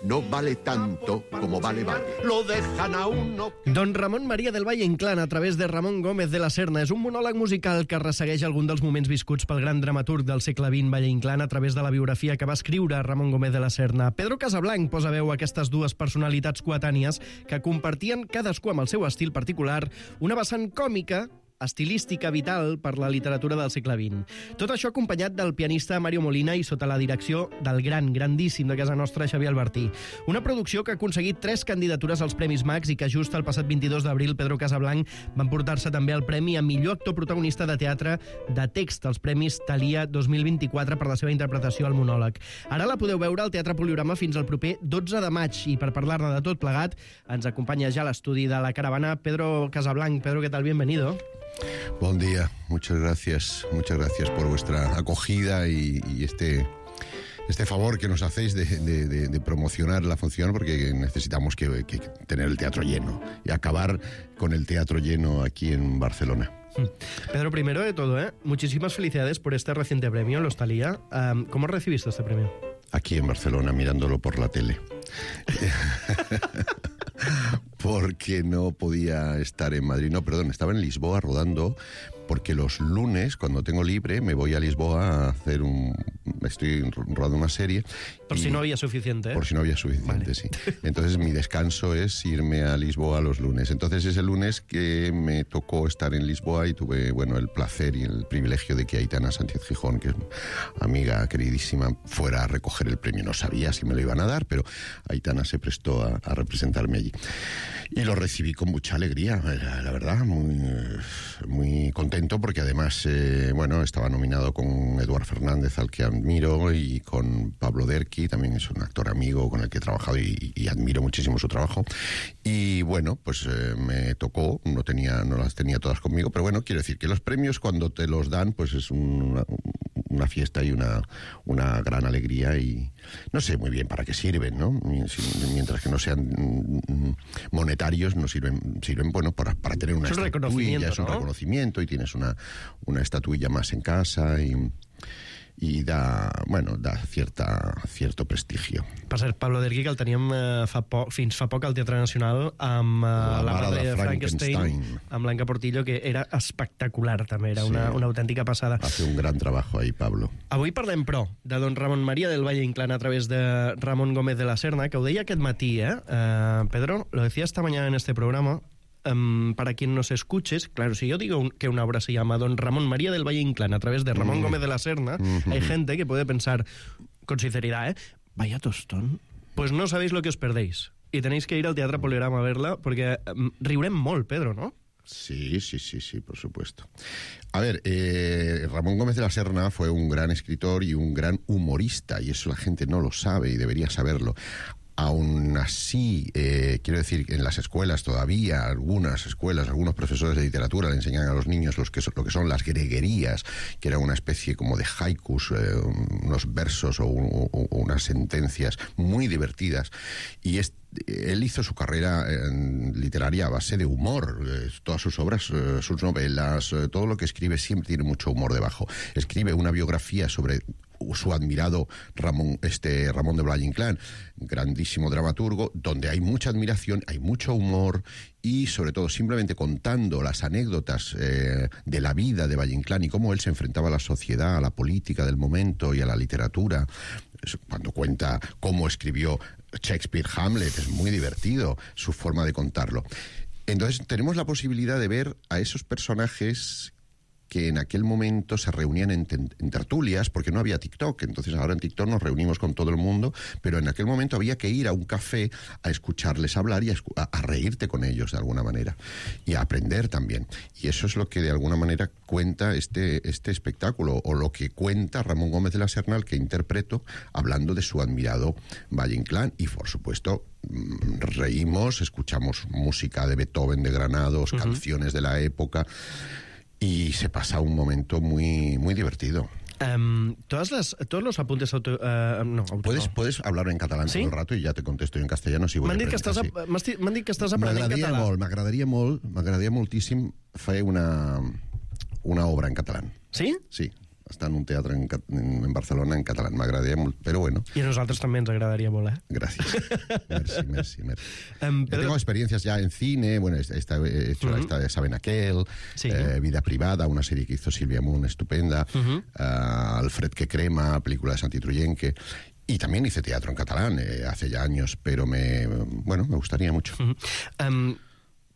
no vale tanto como vale. Lo dejan a uno. Don Ramón María del Valle Inclán, a través de Ramon Gómez de la Serna, és un monòleg musical que ressegueix algun dels moments viscuts pel gran dramaturg del segle XX Valle Inclán a través de la biografia que va escriure Ramon Gómez de la Serna. Pedro Casablanc posa veu a aquestes dues personalitats coetànies que compartien cadascú amb el seu estil particular una vessant còmica, estilística vital per la literatura del segle XX. Tot això acompanyat del pianista Mario Molina i sota la direcció del grandíssim de casa nostra, Xavier Albertí. Una producció que ha aconseguit 3 candidatures als Premis Max i que just el passat 22 d'abril Pedro Casablanc va emportar-se també el premi a millor actor protagonista de teatre de text als Premis Thalia 2024 per la seva interpretació al monòleg. Ara la podeu veure al Teatre Poliorama fins al proper 12 de maig i per parlar-ne de tot plegat ens acompanya ja a l'estudi de la caravana Pedro Casablanc. Pedro, ¿qué tal? Bienvenido. Buen día, muchas gracias por vuestra acogida y este favor que nos hacéis de promocionar la función, porque necesitamos que tener el teatro lleno y acabar con el teatro lleno aquí en Barcelona. Pedro, primero de todo, muchísimas felicidades por este reciente premio, Los Thalía. ¿Cómo recibiste este premio? Aquí en Barcelona, mirándolo por la tele. Porque no podía estar en Madrid. No, perdón, estaba en Lisboa rodando, porque los lunes, cuando tengo libre, me voy a Lisboa a hacer estoy rodando una serie. Por si no había suficiente, ¿eh? Por si no había suficiente, vale. Sí. Entonces mi descanso es irme a Lisboa los lunes. Entonces ese lunes que me tocó estar en Lisboa y tuve, el placer y el privilegio de que Aitana Sánchez Gijón, que es amiga queridísima, fuera a recoger el premio. No sabía si me lo iban a dar, pero Aitana se prestó a representarme allí. Y lo recibí con mucha alegría, la verdad, muy contento, porque además, estaba nominado con Eduard Fernández, al que admiro, y con Pablo Derqui, también es un actor amigo con el que he trabajado y admiro muchísimo su trabajo. Y me tocó, no las tenía todas conmigo, pero quiero decir que los premios, cuando te los dan, pues es una fiesta y una gran alegría, y no sé muy bien para qué sirven, ¿no? Mientras que no sean monetarios, no sirven para tener una estatuilla, es un reconocimiento, y tienes una estatuilla más en casa, i da cierto prestigio. Per cert, Pablo Derqui, que el teníem fins fa poc al Teatre Nacional amb la mare de Frankenstein, amb Blanca Portillo, que era espectacular també, era una autèntica passada. Hace un gran trabajo ahí, Pablo. Avui parlem, però, de don Ramon María del Valle Inclán a través de Ramón Gómez de la Serna, que ho deia aquest matí, Pedro, lo decía esta mañana en este programa. Para quien nos escuches, claro, si yo digo que una obra se llama Don Ramón María del Valle Inclán a través de Ramón Gómez de la Serna, hay gente que puede pensar, con sinceridad, vaya tostón, pues no sabéis lo que os perdéis. Y tenéis que ir al Teatre Poligrama a verla, porque riurem molt, Pedro, ¿no? Sí, por supuesto. A ver, Ramón Gómez de la Serna fue un gran escritor y un gran humorista, y eso la gente no lo sabe y debería saberlo. Aún así, quiero decir, en las escuelas todavía, algunos profesores de literatura le enseñan a los niños lo que son las greguerías, que era una especie como de haikus, unos versos o unas sentencias muy divertidas. Y él hizo su carrera literaria a base de humor. Todas sus obras, sus novelas, todo lo que escribe siempre tiene mucho humor debajo. Escribe una biografía sobre su admirado Ramón de Valle Inclán, grandísimo dramaturgo, donde hay mucha admiración, hay mucho humor, y sobre todo simplemente contando las anécdotas de la vida de Valle Inclán y cómo él se enfrentaba a la sociedad, a la política del momento y a la literatura. Cuando cuenta cómo escribió Shakespeare Hamlet, es muy divertido su forma de contarlo. Entonces tenemos la posibilidad de ver a esos personajes que en aquel momento se reunían en tertulias, porque no había TikTok. Entonces ahora en TikTok nos reunimos con todo el mundo, pero en aquel momento había que ir a un café a escucharles hablar y a reírte con ellos de alguna manera, y a aprender también. Y eso es lo que de alguna manera cuenta este espectáculo, o lo que cuenta Ramón Gómez de la Serna, al que interpreto, hablando de su admirado Valle Inclán. Y por supuesto reímos, escuchamos música de Beethoven, de Granados, canciones de la época, y se pasa un momento muy, muy divertido. Todos los apuntes ¿Puedes hablar en catalán todo el rato y ya te contesto yo en castellano si vull aprendre? M'han dit que estàs aprenent català. M'agradaria moltíssim fer una obra en catalán. Sí? Sí. Està en un teatre en Barcelona en catalán. M'agradaria molt, però bueno. Y a nosotros también nos agradaría molt, Gracias. Merci. Tengo experiencias ya en cine, he hecho esta de Saben Aquel, sí. Vida Privada, una serie que hizo Silvia Moon estupenda, Alfred que crema, película de Santi Truyenque, y también hice teatro en catalán hace ya años, pero me gustaría mucho.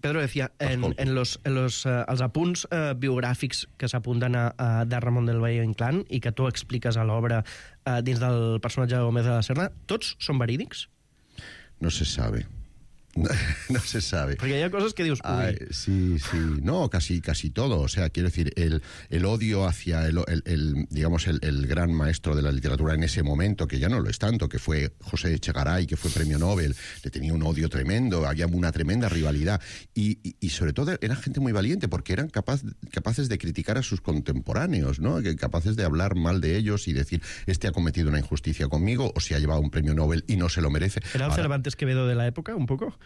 Pedro decía, els apunts biogràfics que s'apunten de Ramón del Valle Inclán i que tu expliques a l'obra dins del personatge de Gómez de la Serna, tots són verídics? No se sabe. No se sabe. Porque hay cosas que dios... Sí, no, casi todo. O sea, quiero decir, el odio hacia digamos, el gran maestro de la literatura en ese momento, que ya no lo es tanto, que fue José Echegaray, que fue premio Nobel, le tenía un odio tremendo, había una tremenda rivalidad. Y sobre todo era gente muy valiente, porque eran capaces de criticar a sus contemporáneos, ¿no? Capaces de hablar mal de ellos y decir, este ha cometido una injusticia conmigo, o se ha llevado un premio Nobel y no se lo merece. ¿Era el Cervantes Quevedo de la época, un poco?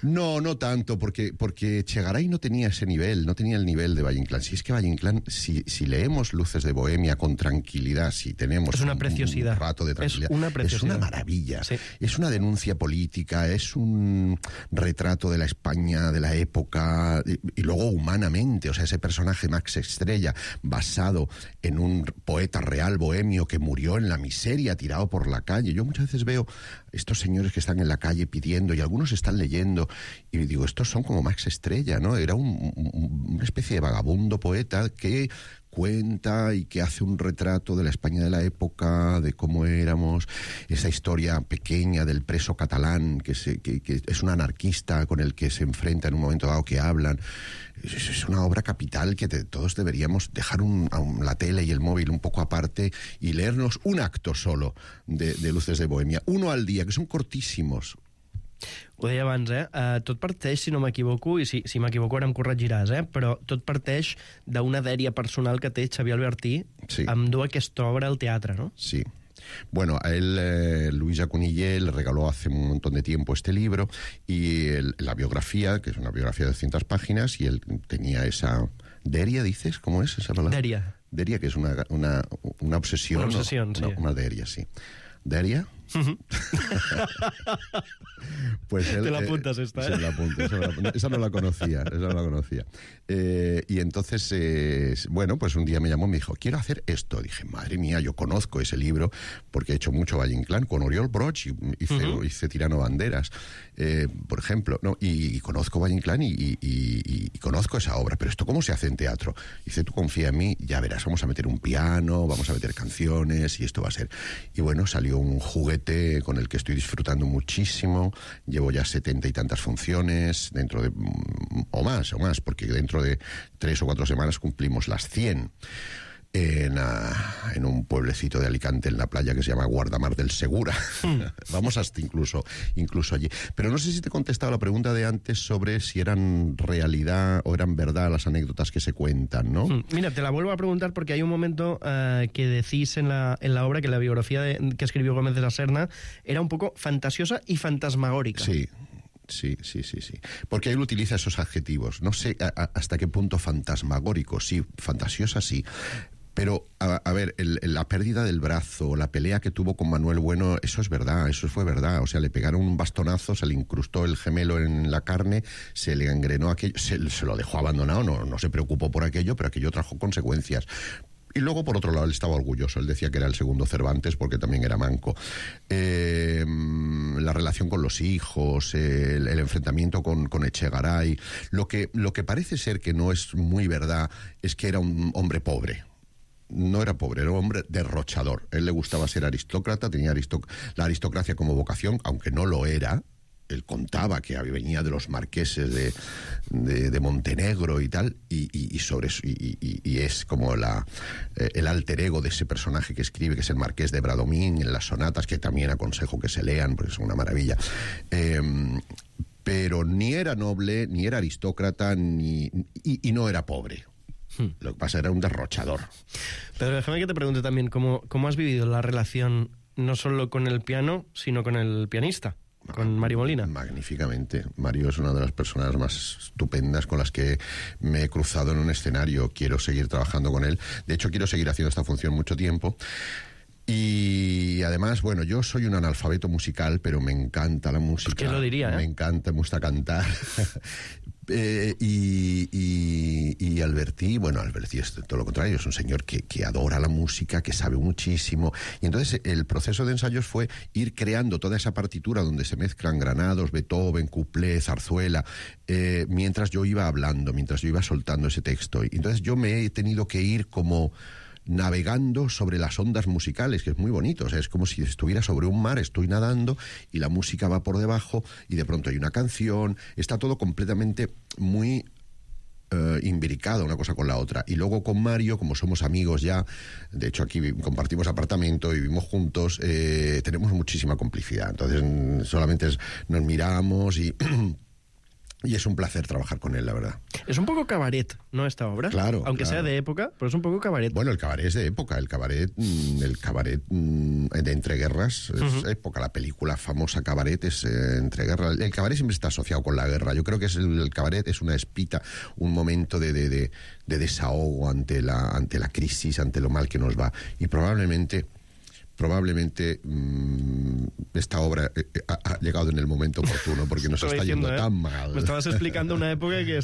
No tanto, porque Echegaray no tenía ese nivel, no tenía el nivel de Valle Inclán. Si es que Valle Inclán, si leemos Luces de Bohemia con tranquilidad, si tenemos una preciosidad. Un rato de tranquilidad, es una maravilla. Sí. Es una denuncia política, es un retrato de la España de la época, y luego humanamente, o sea, ese personaje Max Estrella, basado en un poeta real bohemio que murió en la miseria, tirado por la calle. Yo muchas veces veo estos señores que están en la calle pidiendo, y algunos están leyendo, y digo, estos son como Max Estrella, ¿no? Era una especie de vagabundo poeta que cuenta y que hace un retrato de la España de la época, de cómo éramos, esa historia pequeña del preso catalán, que es un anarquista con el que se enfrenta en un momento dado, que hablan. Es una obra capital que todos deberíamos dejar la tele y el móvil un poco aparte y leernos un acto solo de Luces de Bohemia, uno al día, que son cortísimos. Ho deia abans, tot parteix, si no m'equivoco, i si m'equivoco ara em corregiràs, però tot parteix d'una dèria personal que té Xavier Albertí amb dur aquesta obra al teatre, ¿no? Sí. Bueno, a él Luisa Cunillé le regaló hace un montón de tiempo este libro y la biografía, que es una biografía de 200 páginas, y él tenía esa... ¿Deria, dices? ¿Cómo es esa palabra? Deria. Deria, que es una obsesión. Una obsesión, ¿no? sí. Una deria, sí. ¿Deria? Pues él, te la apuntas esta, Se la apunta, esa no la conocía. Y entonces, bueno, pues un día me llamó y me dijo, quiero hacer esto. Dije, madre mía, yo conozco ese libro porque he hecho mucho Valle Inclán con Oriol Broch, hice Tirano Banderas, por ejemplo, ¿no? Y conozco Valle Inclán y conozco esa obra, pero ¿esto cómo se hace en teatro? Dice, tú confía en mí, ya verás, vamos a meter un piano, vamos a meter canciones y esto va a ser. Y bueno, salió un juguete con el que estoy disfrutando muchísimo. Llevo ya 70 y tantas funciones, o más, porque dentro de 3 o 4 semanas cumplimos las 100 en un pueblecito de Alicante, en la playa, que se llama Guardamar del Segura. Vamos hasta incluso allí. Pero no sé si te he contestado la pregunta de antes sobre si eran realidad o eran verdad las anécdotas que se cuentan, ¿no? Mira, te la vuelvo a preguntar porque hay un momento que decís en la obra que la biografía que escribió Gómez de la Serna era un poco fantasiosa y fantasmagórica. Sí. Porque él utiliza esos adjetivos. No sé hasta qué punto fantasmagórico, sí, fantasiosa sí. Pero, a ver, la pérdida del brazo, la pelea que tuvo con Manuel Bueno, eso es verdad, eso fue verdad. O sea, le pegaron un bastonazo, se le incrustó el gemelo en la carne, se le engrenó aquello, se lo dejó abandonado, no se preocupó por aquello, pero aquello trajo consecuencias. Y luego, por otro lado, él estaba orgulloso. Él decía que era el segundo Cervantes porque también era manco. La relación con los hijos, el enfrentamiento con Echegaray. Lo que parece ser que no es muy verdad es que era un hombre pobre. No era pobre, era un hombre derrochador. A él le gustaba ser aristócrata, tenía la aristocracia como vocación, aunque no lo era. Él contaba que venía de los marqueses de Montenegro y tal, y es como el alter ego de ese personaje que escribe, que es el marqués de Bradomín, en las sonatas, que también aconsejo que se lean, porque son una maravilla. Pero ni era noble, ni era aristócrata, y no era pobre. Lo que pasa era un derrochador. Pero déjame que te pregunte también, ¿cómo has vivido la relación no solo con el piano, sino con el pianista? Con Mario Molina. Magníficamente. Mario es una de las personas más estupendas con las que me he cruzado en un escenario. Quiero seguir trabajando con él. De hecho, quiero seguir haciendo esta función mucho tiempo. Y además, bueno, yo soy un analfabeto musical, pero me encanta la música. ¿Quién lo diría, Me gusta cantar. Y Albertí es todo lo contrario, es un señor que adora la música, que sabe muchísimo, y entonces el proceso de ensayos fue ir creando toda esa partitura donde se mezclan granados, Beethoven, cuplé, zarzuela, mientras yo iba hablando, mientras yo iba soltando ese texto. Y entonces yo me he tenido que ir como navegando sobre las ondas musicales, que es muy bonito. O sea, es como si estuviera sobre un mar, estoy nadando y la música va por debajo y de pronto hay una canción. Está todo completamente muy imbricada una cosa con la otra. Y luego con Mario, como somos amigos ya, de hecho aquí compartimos apartamento, vivimos juntos, tenemos muchísima complicidad. Entonces solamente nos miramos y es un placer trabajar con él, la verdad. Es un poco cabaret, ¿no, esta obra? Claro. Aunque sea de época, pero es un poco cabaret. Bueno, el cabaret es de época. El cabaret de entreguerras es época. La película famosa Cabaret es entreguerras. El cabaret siempre está asociado con la guerra. Yo creo que el cabaret es una espita, un momento de desahogo ante la crisis, ante lo mal que nos va. Y probablemente esta obra ha llegado en el momento oportuno porque nos está yendo tan mal. Me estabas explicando una época que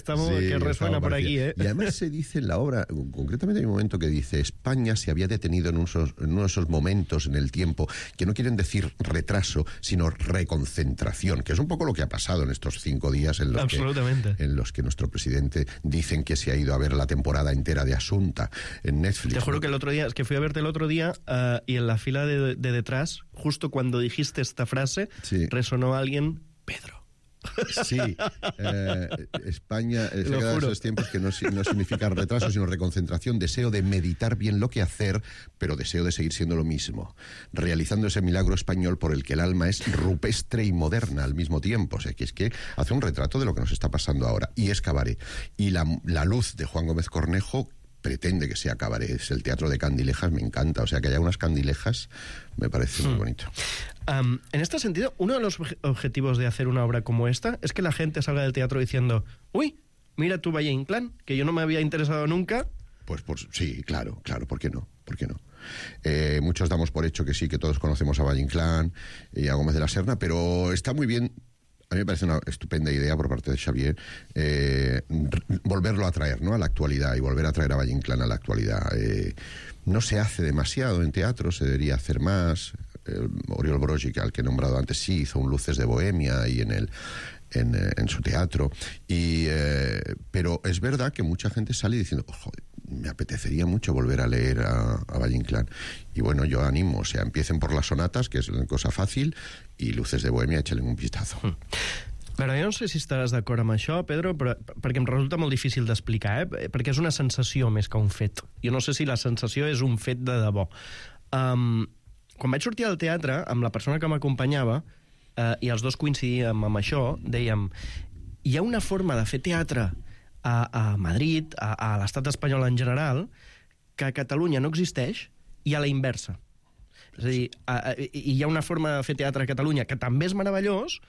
resuena por aquí, ¿eh? Y además se dice en la obra, concretamente hay un momento que dice: España se había detenido en uno de esos momentos en el tiempo que no quieren decir retraso, sino reconcentración, que es un poco lo que ha pasado en estos 5 días en los que nuestro presidente dicen que se ha ido a ver la temporada entera de Asunta en Netflix. Te juro que el otro día, es que fui a verte el otro día y en la fila de detrás, justo cuando dijiste esta frase, resonó alguien: Pedro. Sí, España se ha quedado en esos tiempos que no significa retraso, sino reconcentración, deseo de meditar bien lo que hacer, pero deseo de seguir siendo lo mismo, realizando ese milagro español por el que el alma es rupestre y moderna al mismo tiempo. O sea, que es que hace un retrato de lo que nos está pasando ahora, y es cabaret. Y la luz de Juan Gómez Cornejo pretende que sea cabaret. Es el teatro de candilejas, me encanta. O sea, que haya unas candilejas me parece muy bonito. En este sentido, uno de los objetivos de hacer una obra como esta es que la gente salga del teatro diciendo: uy, mira tu Valle Inclán, que yo no me había interesado nunca. Pues sí, claro, ¿por qué no? Muchos damos por hecho que sí, que todos conocemos a Valle Inclán y a Gómez de la Serna, pero está muy bien. A mí me parece una estupenda idea por parte de Xavier volverlo a traer, ¿no?, a la actualidad, y volver a traer a Valle Inclán a la actualidad. No se hace demasiado en teatro, se debería hacer más. Oriol Brogi, al que he nombrado antes, sí hizo un Luces de Bohemia y en su teatro. Pero es verdad que mucha gente sale diciendo: joder, me apetecería mucho volver a leer a Valle Inclán. Y bueno, yo animo, o sea, empiecen por las sonatas, que es una cosa fàcil, i Luces de Bohemia, échale un vistazo. Però jo no sé si estaràs d'acord amb això, Pedro, perquè em resulta molt difícil d'explicar, perquè és una sensació més que un fet. Jo no sé si la sensació és un fet de debò. Quan vaig sortir al teatre, amb la persona que m'acompanyava, i els dos coincidíem amb això, dèiem: hi ha una forma de fer teatre a Madrid, a l'estat espanyol en general, que a Catalunya no existeix, i a la inversa. És a dir, hi ha una forma de fer teatre a Catalunya que també és meravellós,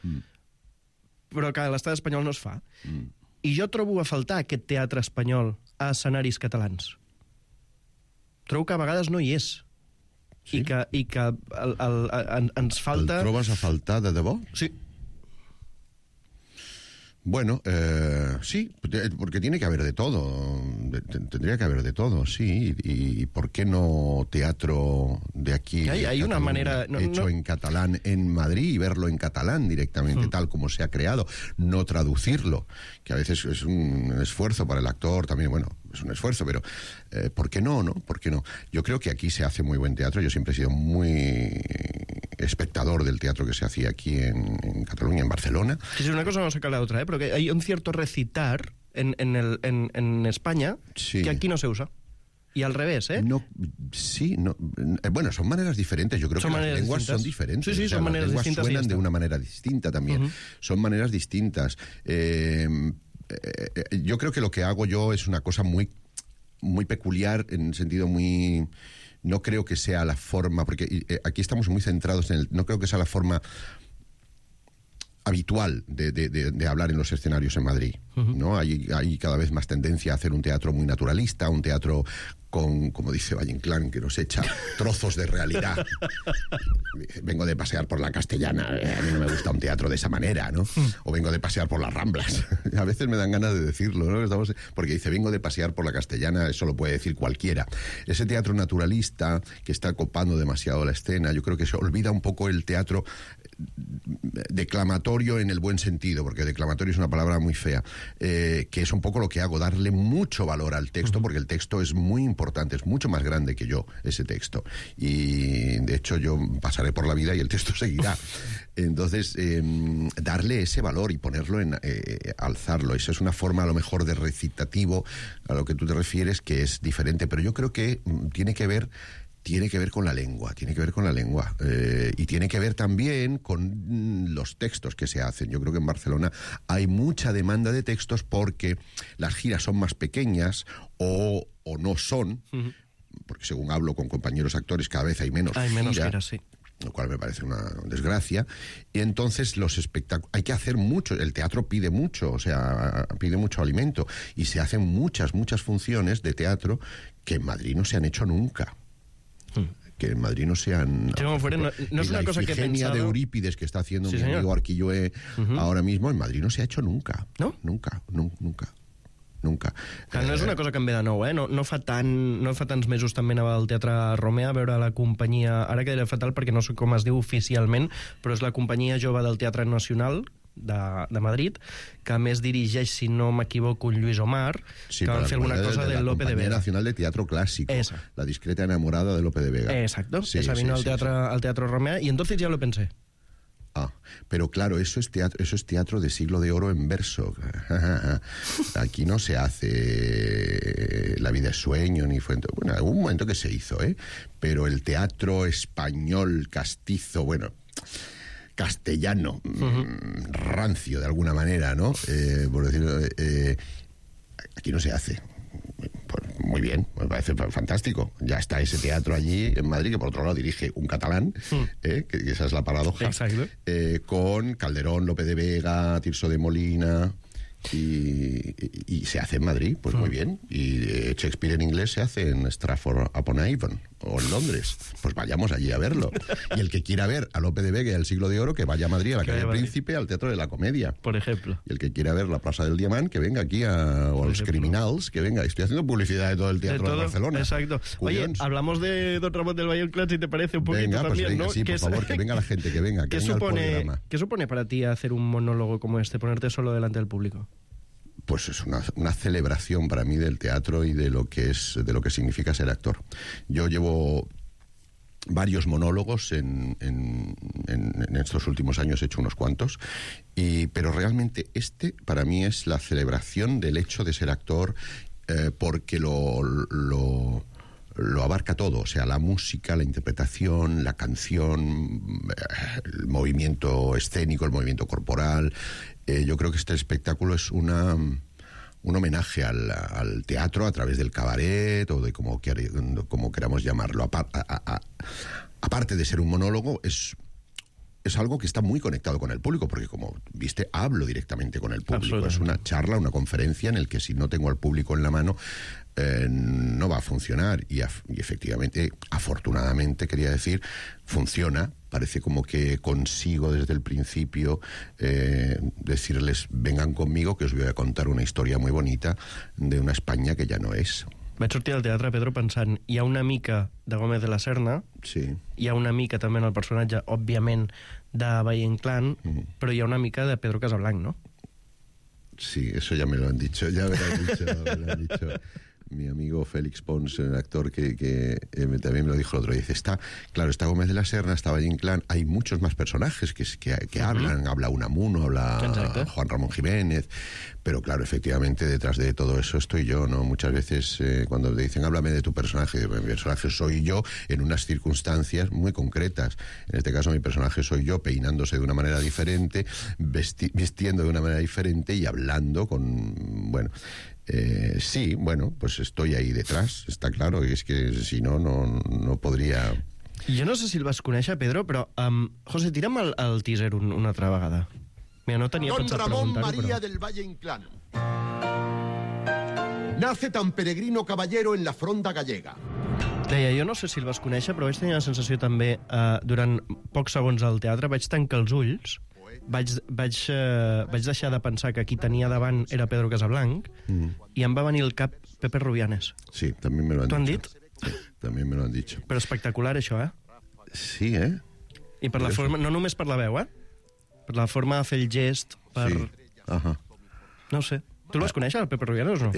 però que a l'estat espanyol no es fa. I jo trobo a faltar aquest teatre espanyol a escenaris catalans. Trobo que a vegades no hi és. Sí? I que ens falta... ¿El trobes a faltar de debò? Sí. Bueno, sí, porque tiene que haber de todo. Tendría que haber de todo, sí. Y ¿por qué no teatro de aquí? Hay una manera... hecho en catalán en Madrid y verlo en catalán directamente, tal como se ha creado. No traducirlo, que a veces es un esfuerzo para el actor también. Bueno, es un esfuerzo, pero ¿por qué no? ¿Por qué no? Yo creo que aquí se hace muy buen teatro. Yo siempre he sido muy espectador del teatro que se hacía aquí en Cataluña, en Barcelona. Sí, una cosa no saca la otra, porque hay un cierto recitar en España que aquí no se usa. Y al revés, ¿eh? Bueno, son maneras diferentes. Yo creo que las lenguas son diferentes. Sí, son maneras distintas. Las lenguas suenan de una manera distinta también. Son maneras distintas. Yo creo que lo que hago yo es una cosa muy, muy peculiar, en el sentido muy... No creo que sea la forma, porque aquí estamos muy centrados en no creo que sea la forma habitual de hablar en los escenarios en Madrid, ¿no? Hay cada vez más tendencia a hacer un teatro muy naturalista, un teatro con, como dice Valle Inclán, que nos echa trozos de realidad. Vengo de pasear por la Castellana, a mí no me gusta un teatro de esa manera, ¿no? O vengo de pasear por las Ramblas. A veces me dan ganas de decirlo, ¿no? Porque dice, vengo de pasear por la Castellana, eso lo puede decir cualquiera. Ese teatro naturalista que está copando demasiado la escena, yo creo que se olvida un poco el teatro declamatorio en el buen sentido, porque declamatorio es una palabra muy fea, que es un poco lo que hago, darle mucho valor al texto, porque el texto es muy importante, es mucho más grande que yo, ese texto. Y de hecho yo pasaré por la vida y el texto seguirá. Entonces, darle ese valor y ponerlo alzarlo. Esa es una forma a lo mejor de recitativo a lo que tú te refieres, que es diferente, pero yo creo que tiene que ver con la lengua, y tiene que ver también con los textos que se hacen. Yo creo que en Barcelona hay mucha demanda de textos porque las giras son más pequeñas o no son, porque según hablo con compañeros actores cada vez hay menos giras, sí. Lo cual me parece una desgracia. Y entonces los espectáculos... Hay que hacer mucho. El teatro pide mucho, o sea, pide mucho alimento. Y se hacen muchas funciones de teatro que en Madrid no se han hecho nunca. Que en Madrid no se han... No es una cosa que he pensado... de Eurípides que está haciendo mi amigo Arquilloé ahora mismo, en Madrid no se ha hecho nunca. ¿No? Nunca. Que no és una cosa que em ve de nou, eh? No fa tants mesos també anava al Teatre Romea a veure la companyia, ara quedaré fatal perquè no sé com es diu oficialment, però és la companyia jove del Teatre Nacional de Madrid, que a més dirigeix, si no m'equivoco, un Lluís Omar, que van fer alguna cosa de Lope de Vega. La Nacional de Teatro Clásico, La discreta enamorada de Lope de Vega. Exacto, esa vino al Teatro Romea, y entonces ya lo pensé. Pero claro, eso es teatro de siglo de oro en verso. Aquí no se hace La vida es sueño, ni fue... Bueno, en algún momento que se hizo, pero el teatro español castizo, castellano, rancio de alguna manera, ¿no? Por decirlo, aquí no se hace. Pues muy bien, me parece fantástico. Ya está ese teatro allí en Madrid, que por otro lado dirige un catalán, que esa es la paradoja. Exacto. Con Calderón, Lope de Vega, Tirso de Molina... Y se hace en Madrid, pues muy bien. Y Shakespeare en inglés se hace en Stratford-upon-Avon o en Londres. Pues vayamos allí a verlo. Y el que quiera ver a Lope de Vega y al Siglo de Oro, que vaya a Madrid, a la Calle Príncipe, al Teatro de la Comedia, por ejemplo. Y el que quiera ver la Plaza del Diamant, que venga aquí o a los Criminals, que venga. Estoy haciendo publicidad de todo el teatro de Barcelona. Exacto. Oye, hablamos de Don Ramón del Valle Inclán, si te parece un poquito venga, también, pues venga, ¿no? Sí, por favor, que venga la gente, que venga, que venga al programa. ¿Qué supone para ti hacer un monólogo como este, ponerte solo delante del público? Pues es una celebración para mí del teatro y de lo que significa ser actor. Yo llevo varios monólogos en estos últimos años, he hecho unos cuantos, pero realmente este para mí es la celebración del hecho de ser actor, porque lo abarca todo, o sea, la música, la interpretación, la canción, el movimiento escénico, el movimiento corporal. Yo creo que este espectáculo es un homenaje al teatro a través del cabaret o de como queramos llamarlo. Aparte de ser un monólogo, es algo que está muy conectado con el público, porque como viste, hablo directamente con el público. Es una charla, una conferencia en el que si no tengo al público en la mano, no va a funcionar. Y efectivamente, afortunadamente, quería decir, funciona. Parece como que consigo desde el principio decirles, vengan conmigo, que os voy a contar una historia muy bonita de una España que ya no es. Vaig sortir al teatre, Pedro, pensant, hi ha una mica de Gómez de la Serna, sí. Hi ha una mica també en el personatge, òbviament, de Valle Inclán, però hi ha una mica de Pedro Casablanc, ¿no? Sí, eso ya me lo han dicho, me lo han dicho. Mi amigo Félix Pons, el actor que también me lo dijo el otro día, dice, está Gómez de la Serna, está Valle Inclán, hay muchos más personajes que hablan, habla Unamuno, habla Juan Ramón Jiménez, pero claro, efectivamente detrás de todo eso estoy yo, ¿no? Muchas veces cuando te dicen, háblame de tu personaje, mi personaje soy yo en unas circunstancias muy concretas. En este caso mi personaje soy yo peinándose de una manera diferente, vistiendo de una manera diferente y hablando con, bueno... sí, bueno, pues estoy ahí detrás, está claro, y es que si no podria... Jo no sé si el vas conèixer, Pedro, però, José, tira'm el teaser una altra vegada. Mira, no tenia pensat preguntar-ho, Don Ramón María però... del Valle Inclán. Nace tan peregrino caballero en la fronda gallega. Deia, jo no sé si el vas conèixer, però vaig tenir la sensació també, durant pocs segons al teatre, vaig tancar els ulls, vaig deixar de pensar que qui tenia davant era Pedro Casablanc i em va venir al cap Pepe Rubianes. Sí, també me lo han dicho. ¿T'ho han dit? Sí, també me lo han dicho. Però espectacular, això, Sí, I per la forma, no només per la veu, per la forma de fer el gest, per... Sí. No ho sé. ¿Tú lo vas conèixer, el Pepe Rubianes, o no?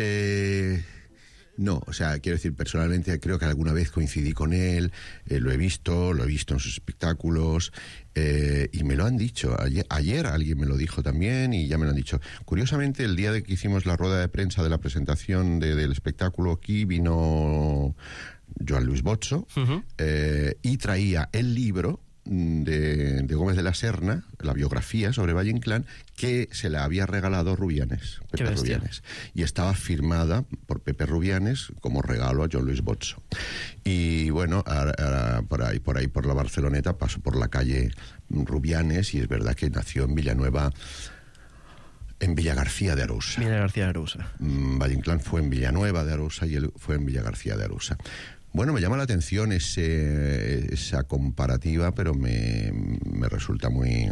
No, o sea, quiero decir, personalmente creo que alguna vez coincidí con él, lo he visto en sus espectáculos, y me lo han dicho. Ayer alguien me lo dijo también y ya me lo han dicho. Curiosamente, el día de que hicimos la rueda de prensa de la presentación del espectáculo aquí, vino Joan Luis Bozzo, y traía el libro de Gómez de la Serna, la biografía sobre Valle Inclán, que se la había regalado Rubianes, Pepe Rubianes, y estaba firmada por Pepe Rubianes como regalo a Joan Luis Bozzo. Y bueno, ahora por ahí por la Barceloneta paso por la calle Rubianes, y es verdad que nació en Villanueva, en Villagarcía de Arousa. Villagarcía de Arousa. Valle Inclán fue en Villanueva de Arousa y él fue en Villagarcía de Arousa. Bueno, me llama la atención esa comparativa, pero me resulta muy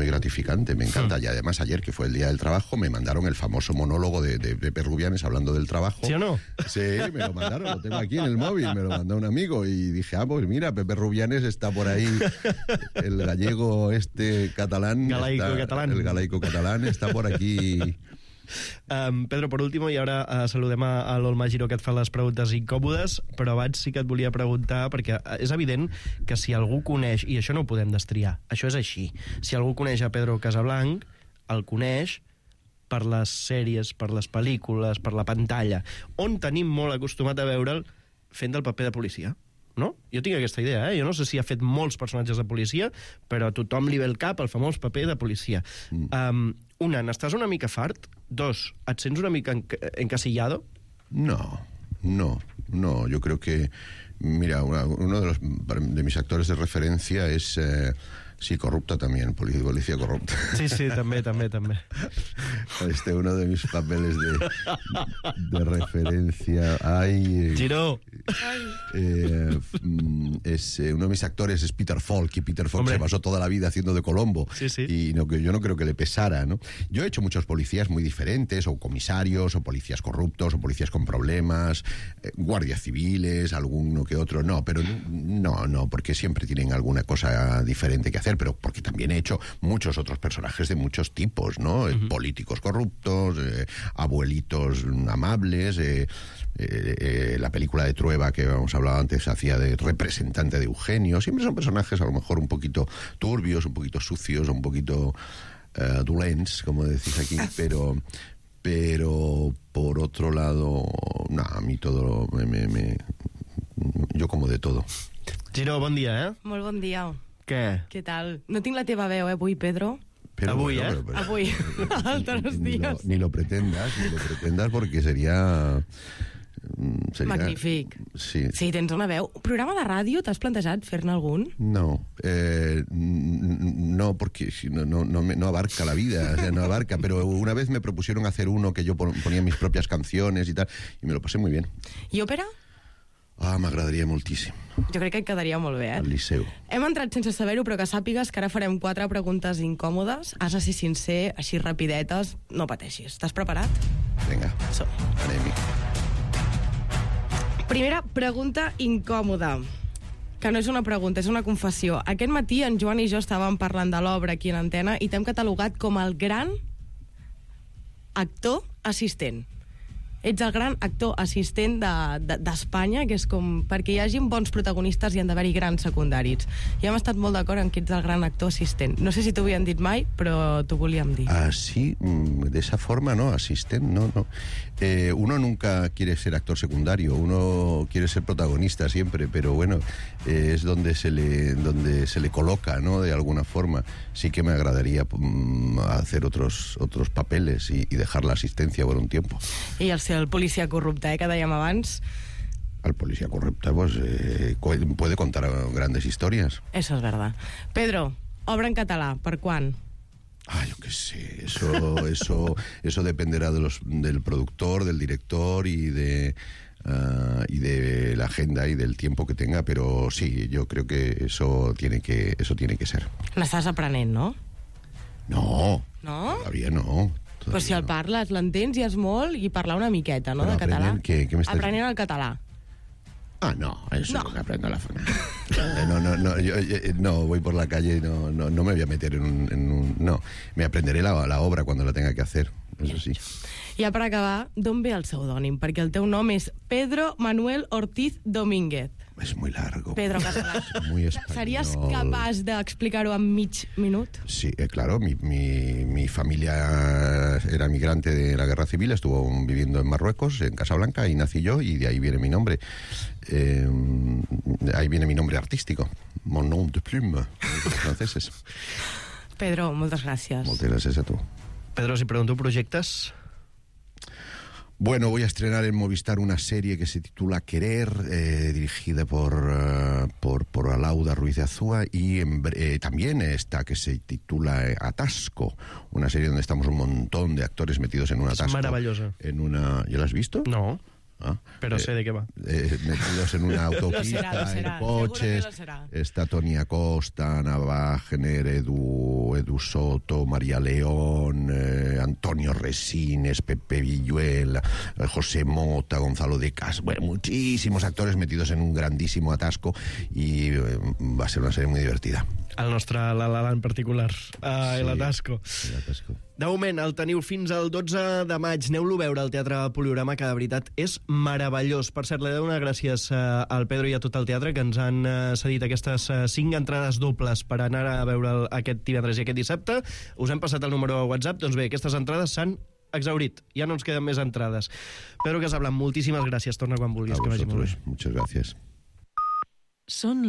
gratificante, me encanta. Y además ayer, que fue el Día del Trabajo, me mandaron el famoso monólogo de Pepe Rubianes hablando del trabajo. ¿Sí o no? Sí, me lo mandaron, lo tengo aquí en el móvil, me lo mandó un amigo y dije, pues mira, Pepe Rubianes está por ahí, el gallego catalán. El galaico catalán está por aquí. Pedro, per últim, i ara saludem a l'Olma Giró, que et fa les preguntes incòmodes, però abans sí que et volia preguntar, perquè és evident que si algú coneix, i això no ho podem destriar, això és així, si algú coneix a Pedro Casablanc, el coneix per les sèries, per les pel·lícules, per la pantalla, on tenim molt acostumat a veure'l fent del paper de policia. No? Jo tinc aquesta idea, Jo no sé si ha fet molts personatges de policia, però a tothom li ve el cap el famós paper de policia. Una, n'estàs una mica fart? Dos, et sents una mica encasillado? No, yo creo que, mira, uno de mis actores de referencia es... Sí, corrupta también, policía corrupta. Sí, també. Uno de mis papeles de referencia. Ay, Giró. Uno de mis actores es Peter Falk, y Peter Falk se pasó toda la vida haciendo de Colombo. Sí. Y yo no creo que le pesara, ¿no? Yo he hecho muchos policías muy diferentes, o comisarios, o policías corruptos, o policías con problemas, guardias civiles, alguno que otro. No, pero no, porque siempre tienen alguna cosa diferente que hacer, pero porque también he hecho muchos otros personajes de muchos tipos, ¿no? Políticos corruptos, abuelitos amables, la película de Trueba que hemos hablado antes hacía de representante de Eugenio. Siempre son personajes a lo mejor un poquito turbios, un poquito sucios, un poquito dolents, como decís aquí, pero por otro lado, a mí todo yo como de todo. Giró, bon dia, Molt bon dia. Què tal? No tinc la teva veu, avui, Pedro. Pero avui, bueno, Avui, altres dies. Ni lo pretendas, porque sería... Magnífic. Sí, tens una veu. Programa de ràdio, t'has plantejat fer-ne algun? No, porque no abarca la vida, no abarca, pero una vez me propusieron hacer uno que yo ponía mis propias canciones y tal, y me lo pasé muy bien. I òpera? M'agradaria moltíssim. Jo crec que et quedaria molt bé, Al Liceu. Hem entrat sense saber-ho, però que sàpigues que ara farem 4 preguntes incòmodes. Has de ser sincer, així rapidetes, no pateixis. Estàs preparat? Vinga, anem-hi. Primera pregunta incòmoda, que no és una pregunta, és una confessió. Aquest matí en Joan i jo estàvem parlant de l'obra aquí en Antena i t'hem catalogat com el gran actor assistent. Ets el gran actor assistent d'Espanya, que és com... Perquè hi hagin bons protagonistes hi han d'haver-hi grans secundaris. I hem estat molt d'acord en que ets el gran actor assistent. No sé si t'ho havien dit mai, però t'ho volíem dir. Sí, de esa forma, ¿no? Asistent, no. Uno nunca quiere ser actor secundario, uno quiere ser protagonista siempre, pero bueno, es donde se le coloca, ¿no? De alguna forma. Sí que me agradaría hacer otros papeles y dejar la asistencia por un tiempo. I el policia corrupte, que dèiem abans. El policía corrupto puede contar grandes historias. Eso es verdad. Pedro, obra en català, per quan? Yo qué sé, eso dependerá del productor, del director y de la agenda y del tiempo que tenga, pero sí, yo creo que eso tiene que ser. L'estàs aprenent, no? No, no? Todavía no. Però si el parles, l'entens i és molt, i parlar una miqueta, no, de català? ¿Qué me estás... Aprenent el català. No, eso no aprendo la forma. No, voy por la calle y no me voy a meter en un... No, me aprenderé la obra cuando la tenga que hacer. eso sí. Ja per acabar, d'on ve el pseudònim? Perquè el teu nom és Pedro Manuel Ortiz Domínguez. Es muy largo. Pedro Casalà. Muy español. Series capaç d'explicar-ho en mig minut? Sí, claro, mi familia era migrante de la Guerra Civil, estuvo viviendo en Marruecos, en Casablanca, y nací yo, y de ahí viene mi nombre. Ahí viene mi nombre artístico, mon nom de plume, los franceses. Pedro, moltes gràcies. Moltes gràcies a tu. Pedro, si pregunto proyectas... Bueno, voy a estrenar en Movistar una serie que se titula Querer, dirigida por Alauda Ruiz de Azúa, y también esta que se titula Atasco, una serie donde estamos un montón de actores metidos en un atasco. Es maravillosa. ¿Ya la has visto? No. Pero sé de qué va. Metidos en una autopista, en coches. Está Toni Acosta, Ana Wagner, Edu Soto, María León, Antonio Resines, Pepe Villuel, José Mota, Gonzalo de Cas. Bueno, muchísimos actores metidos en un grandísimo atasco, y va a ser una serie muy divertida. El nostre La La Land particular, l'Atasco. L'Atasco. De moment, el teniu fins al 12 de maig. Aneu-lo a veure al Teatre Poliorama, que de veritat és meravellós. Per cert, li he de donar gràcies al Pedro i a tot el teatre, que ens han cedit aquestes 5 entrades dobles per anar a veure aquest divendres i aquest dissabte. Us hem passat el número a WhatsApp. Doncs bé, aquestes entrades s'han exhaurit. Ja no ens queden més entrades. Pedro Casablanc, moltíssimes gràcies. Torna quan vulguis. A vosotros. Muchas gracias. Són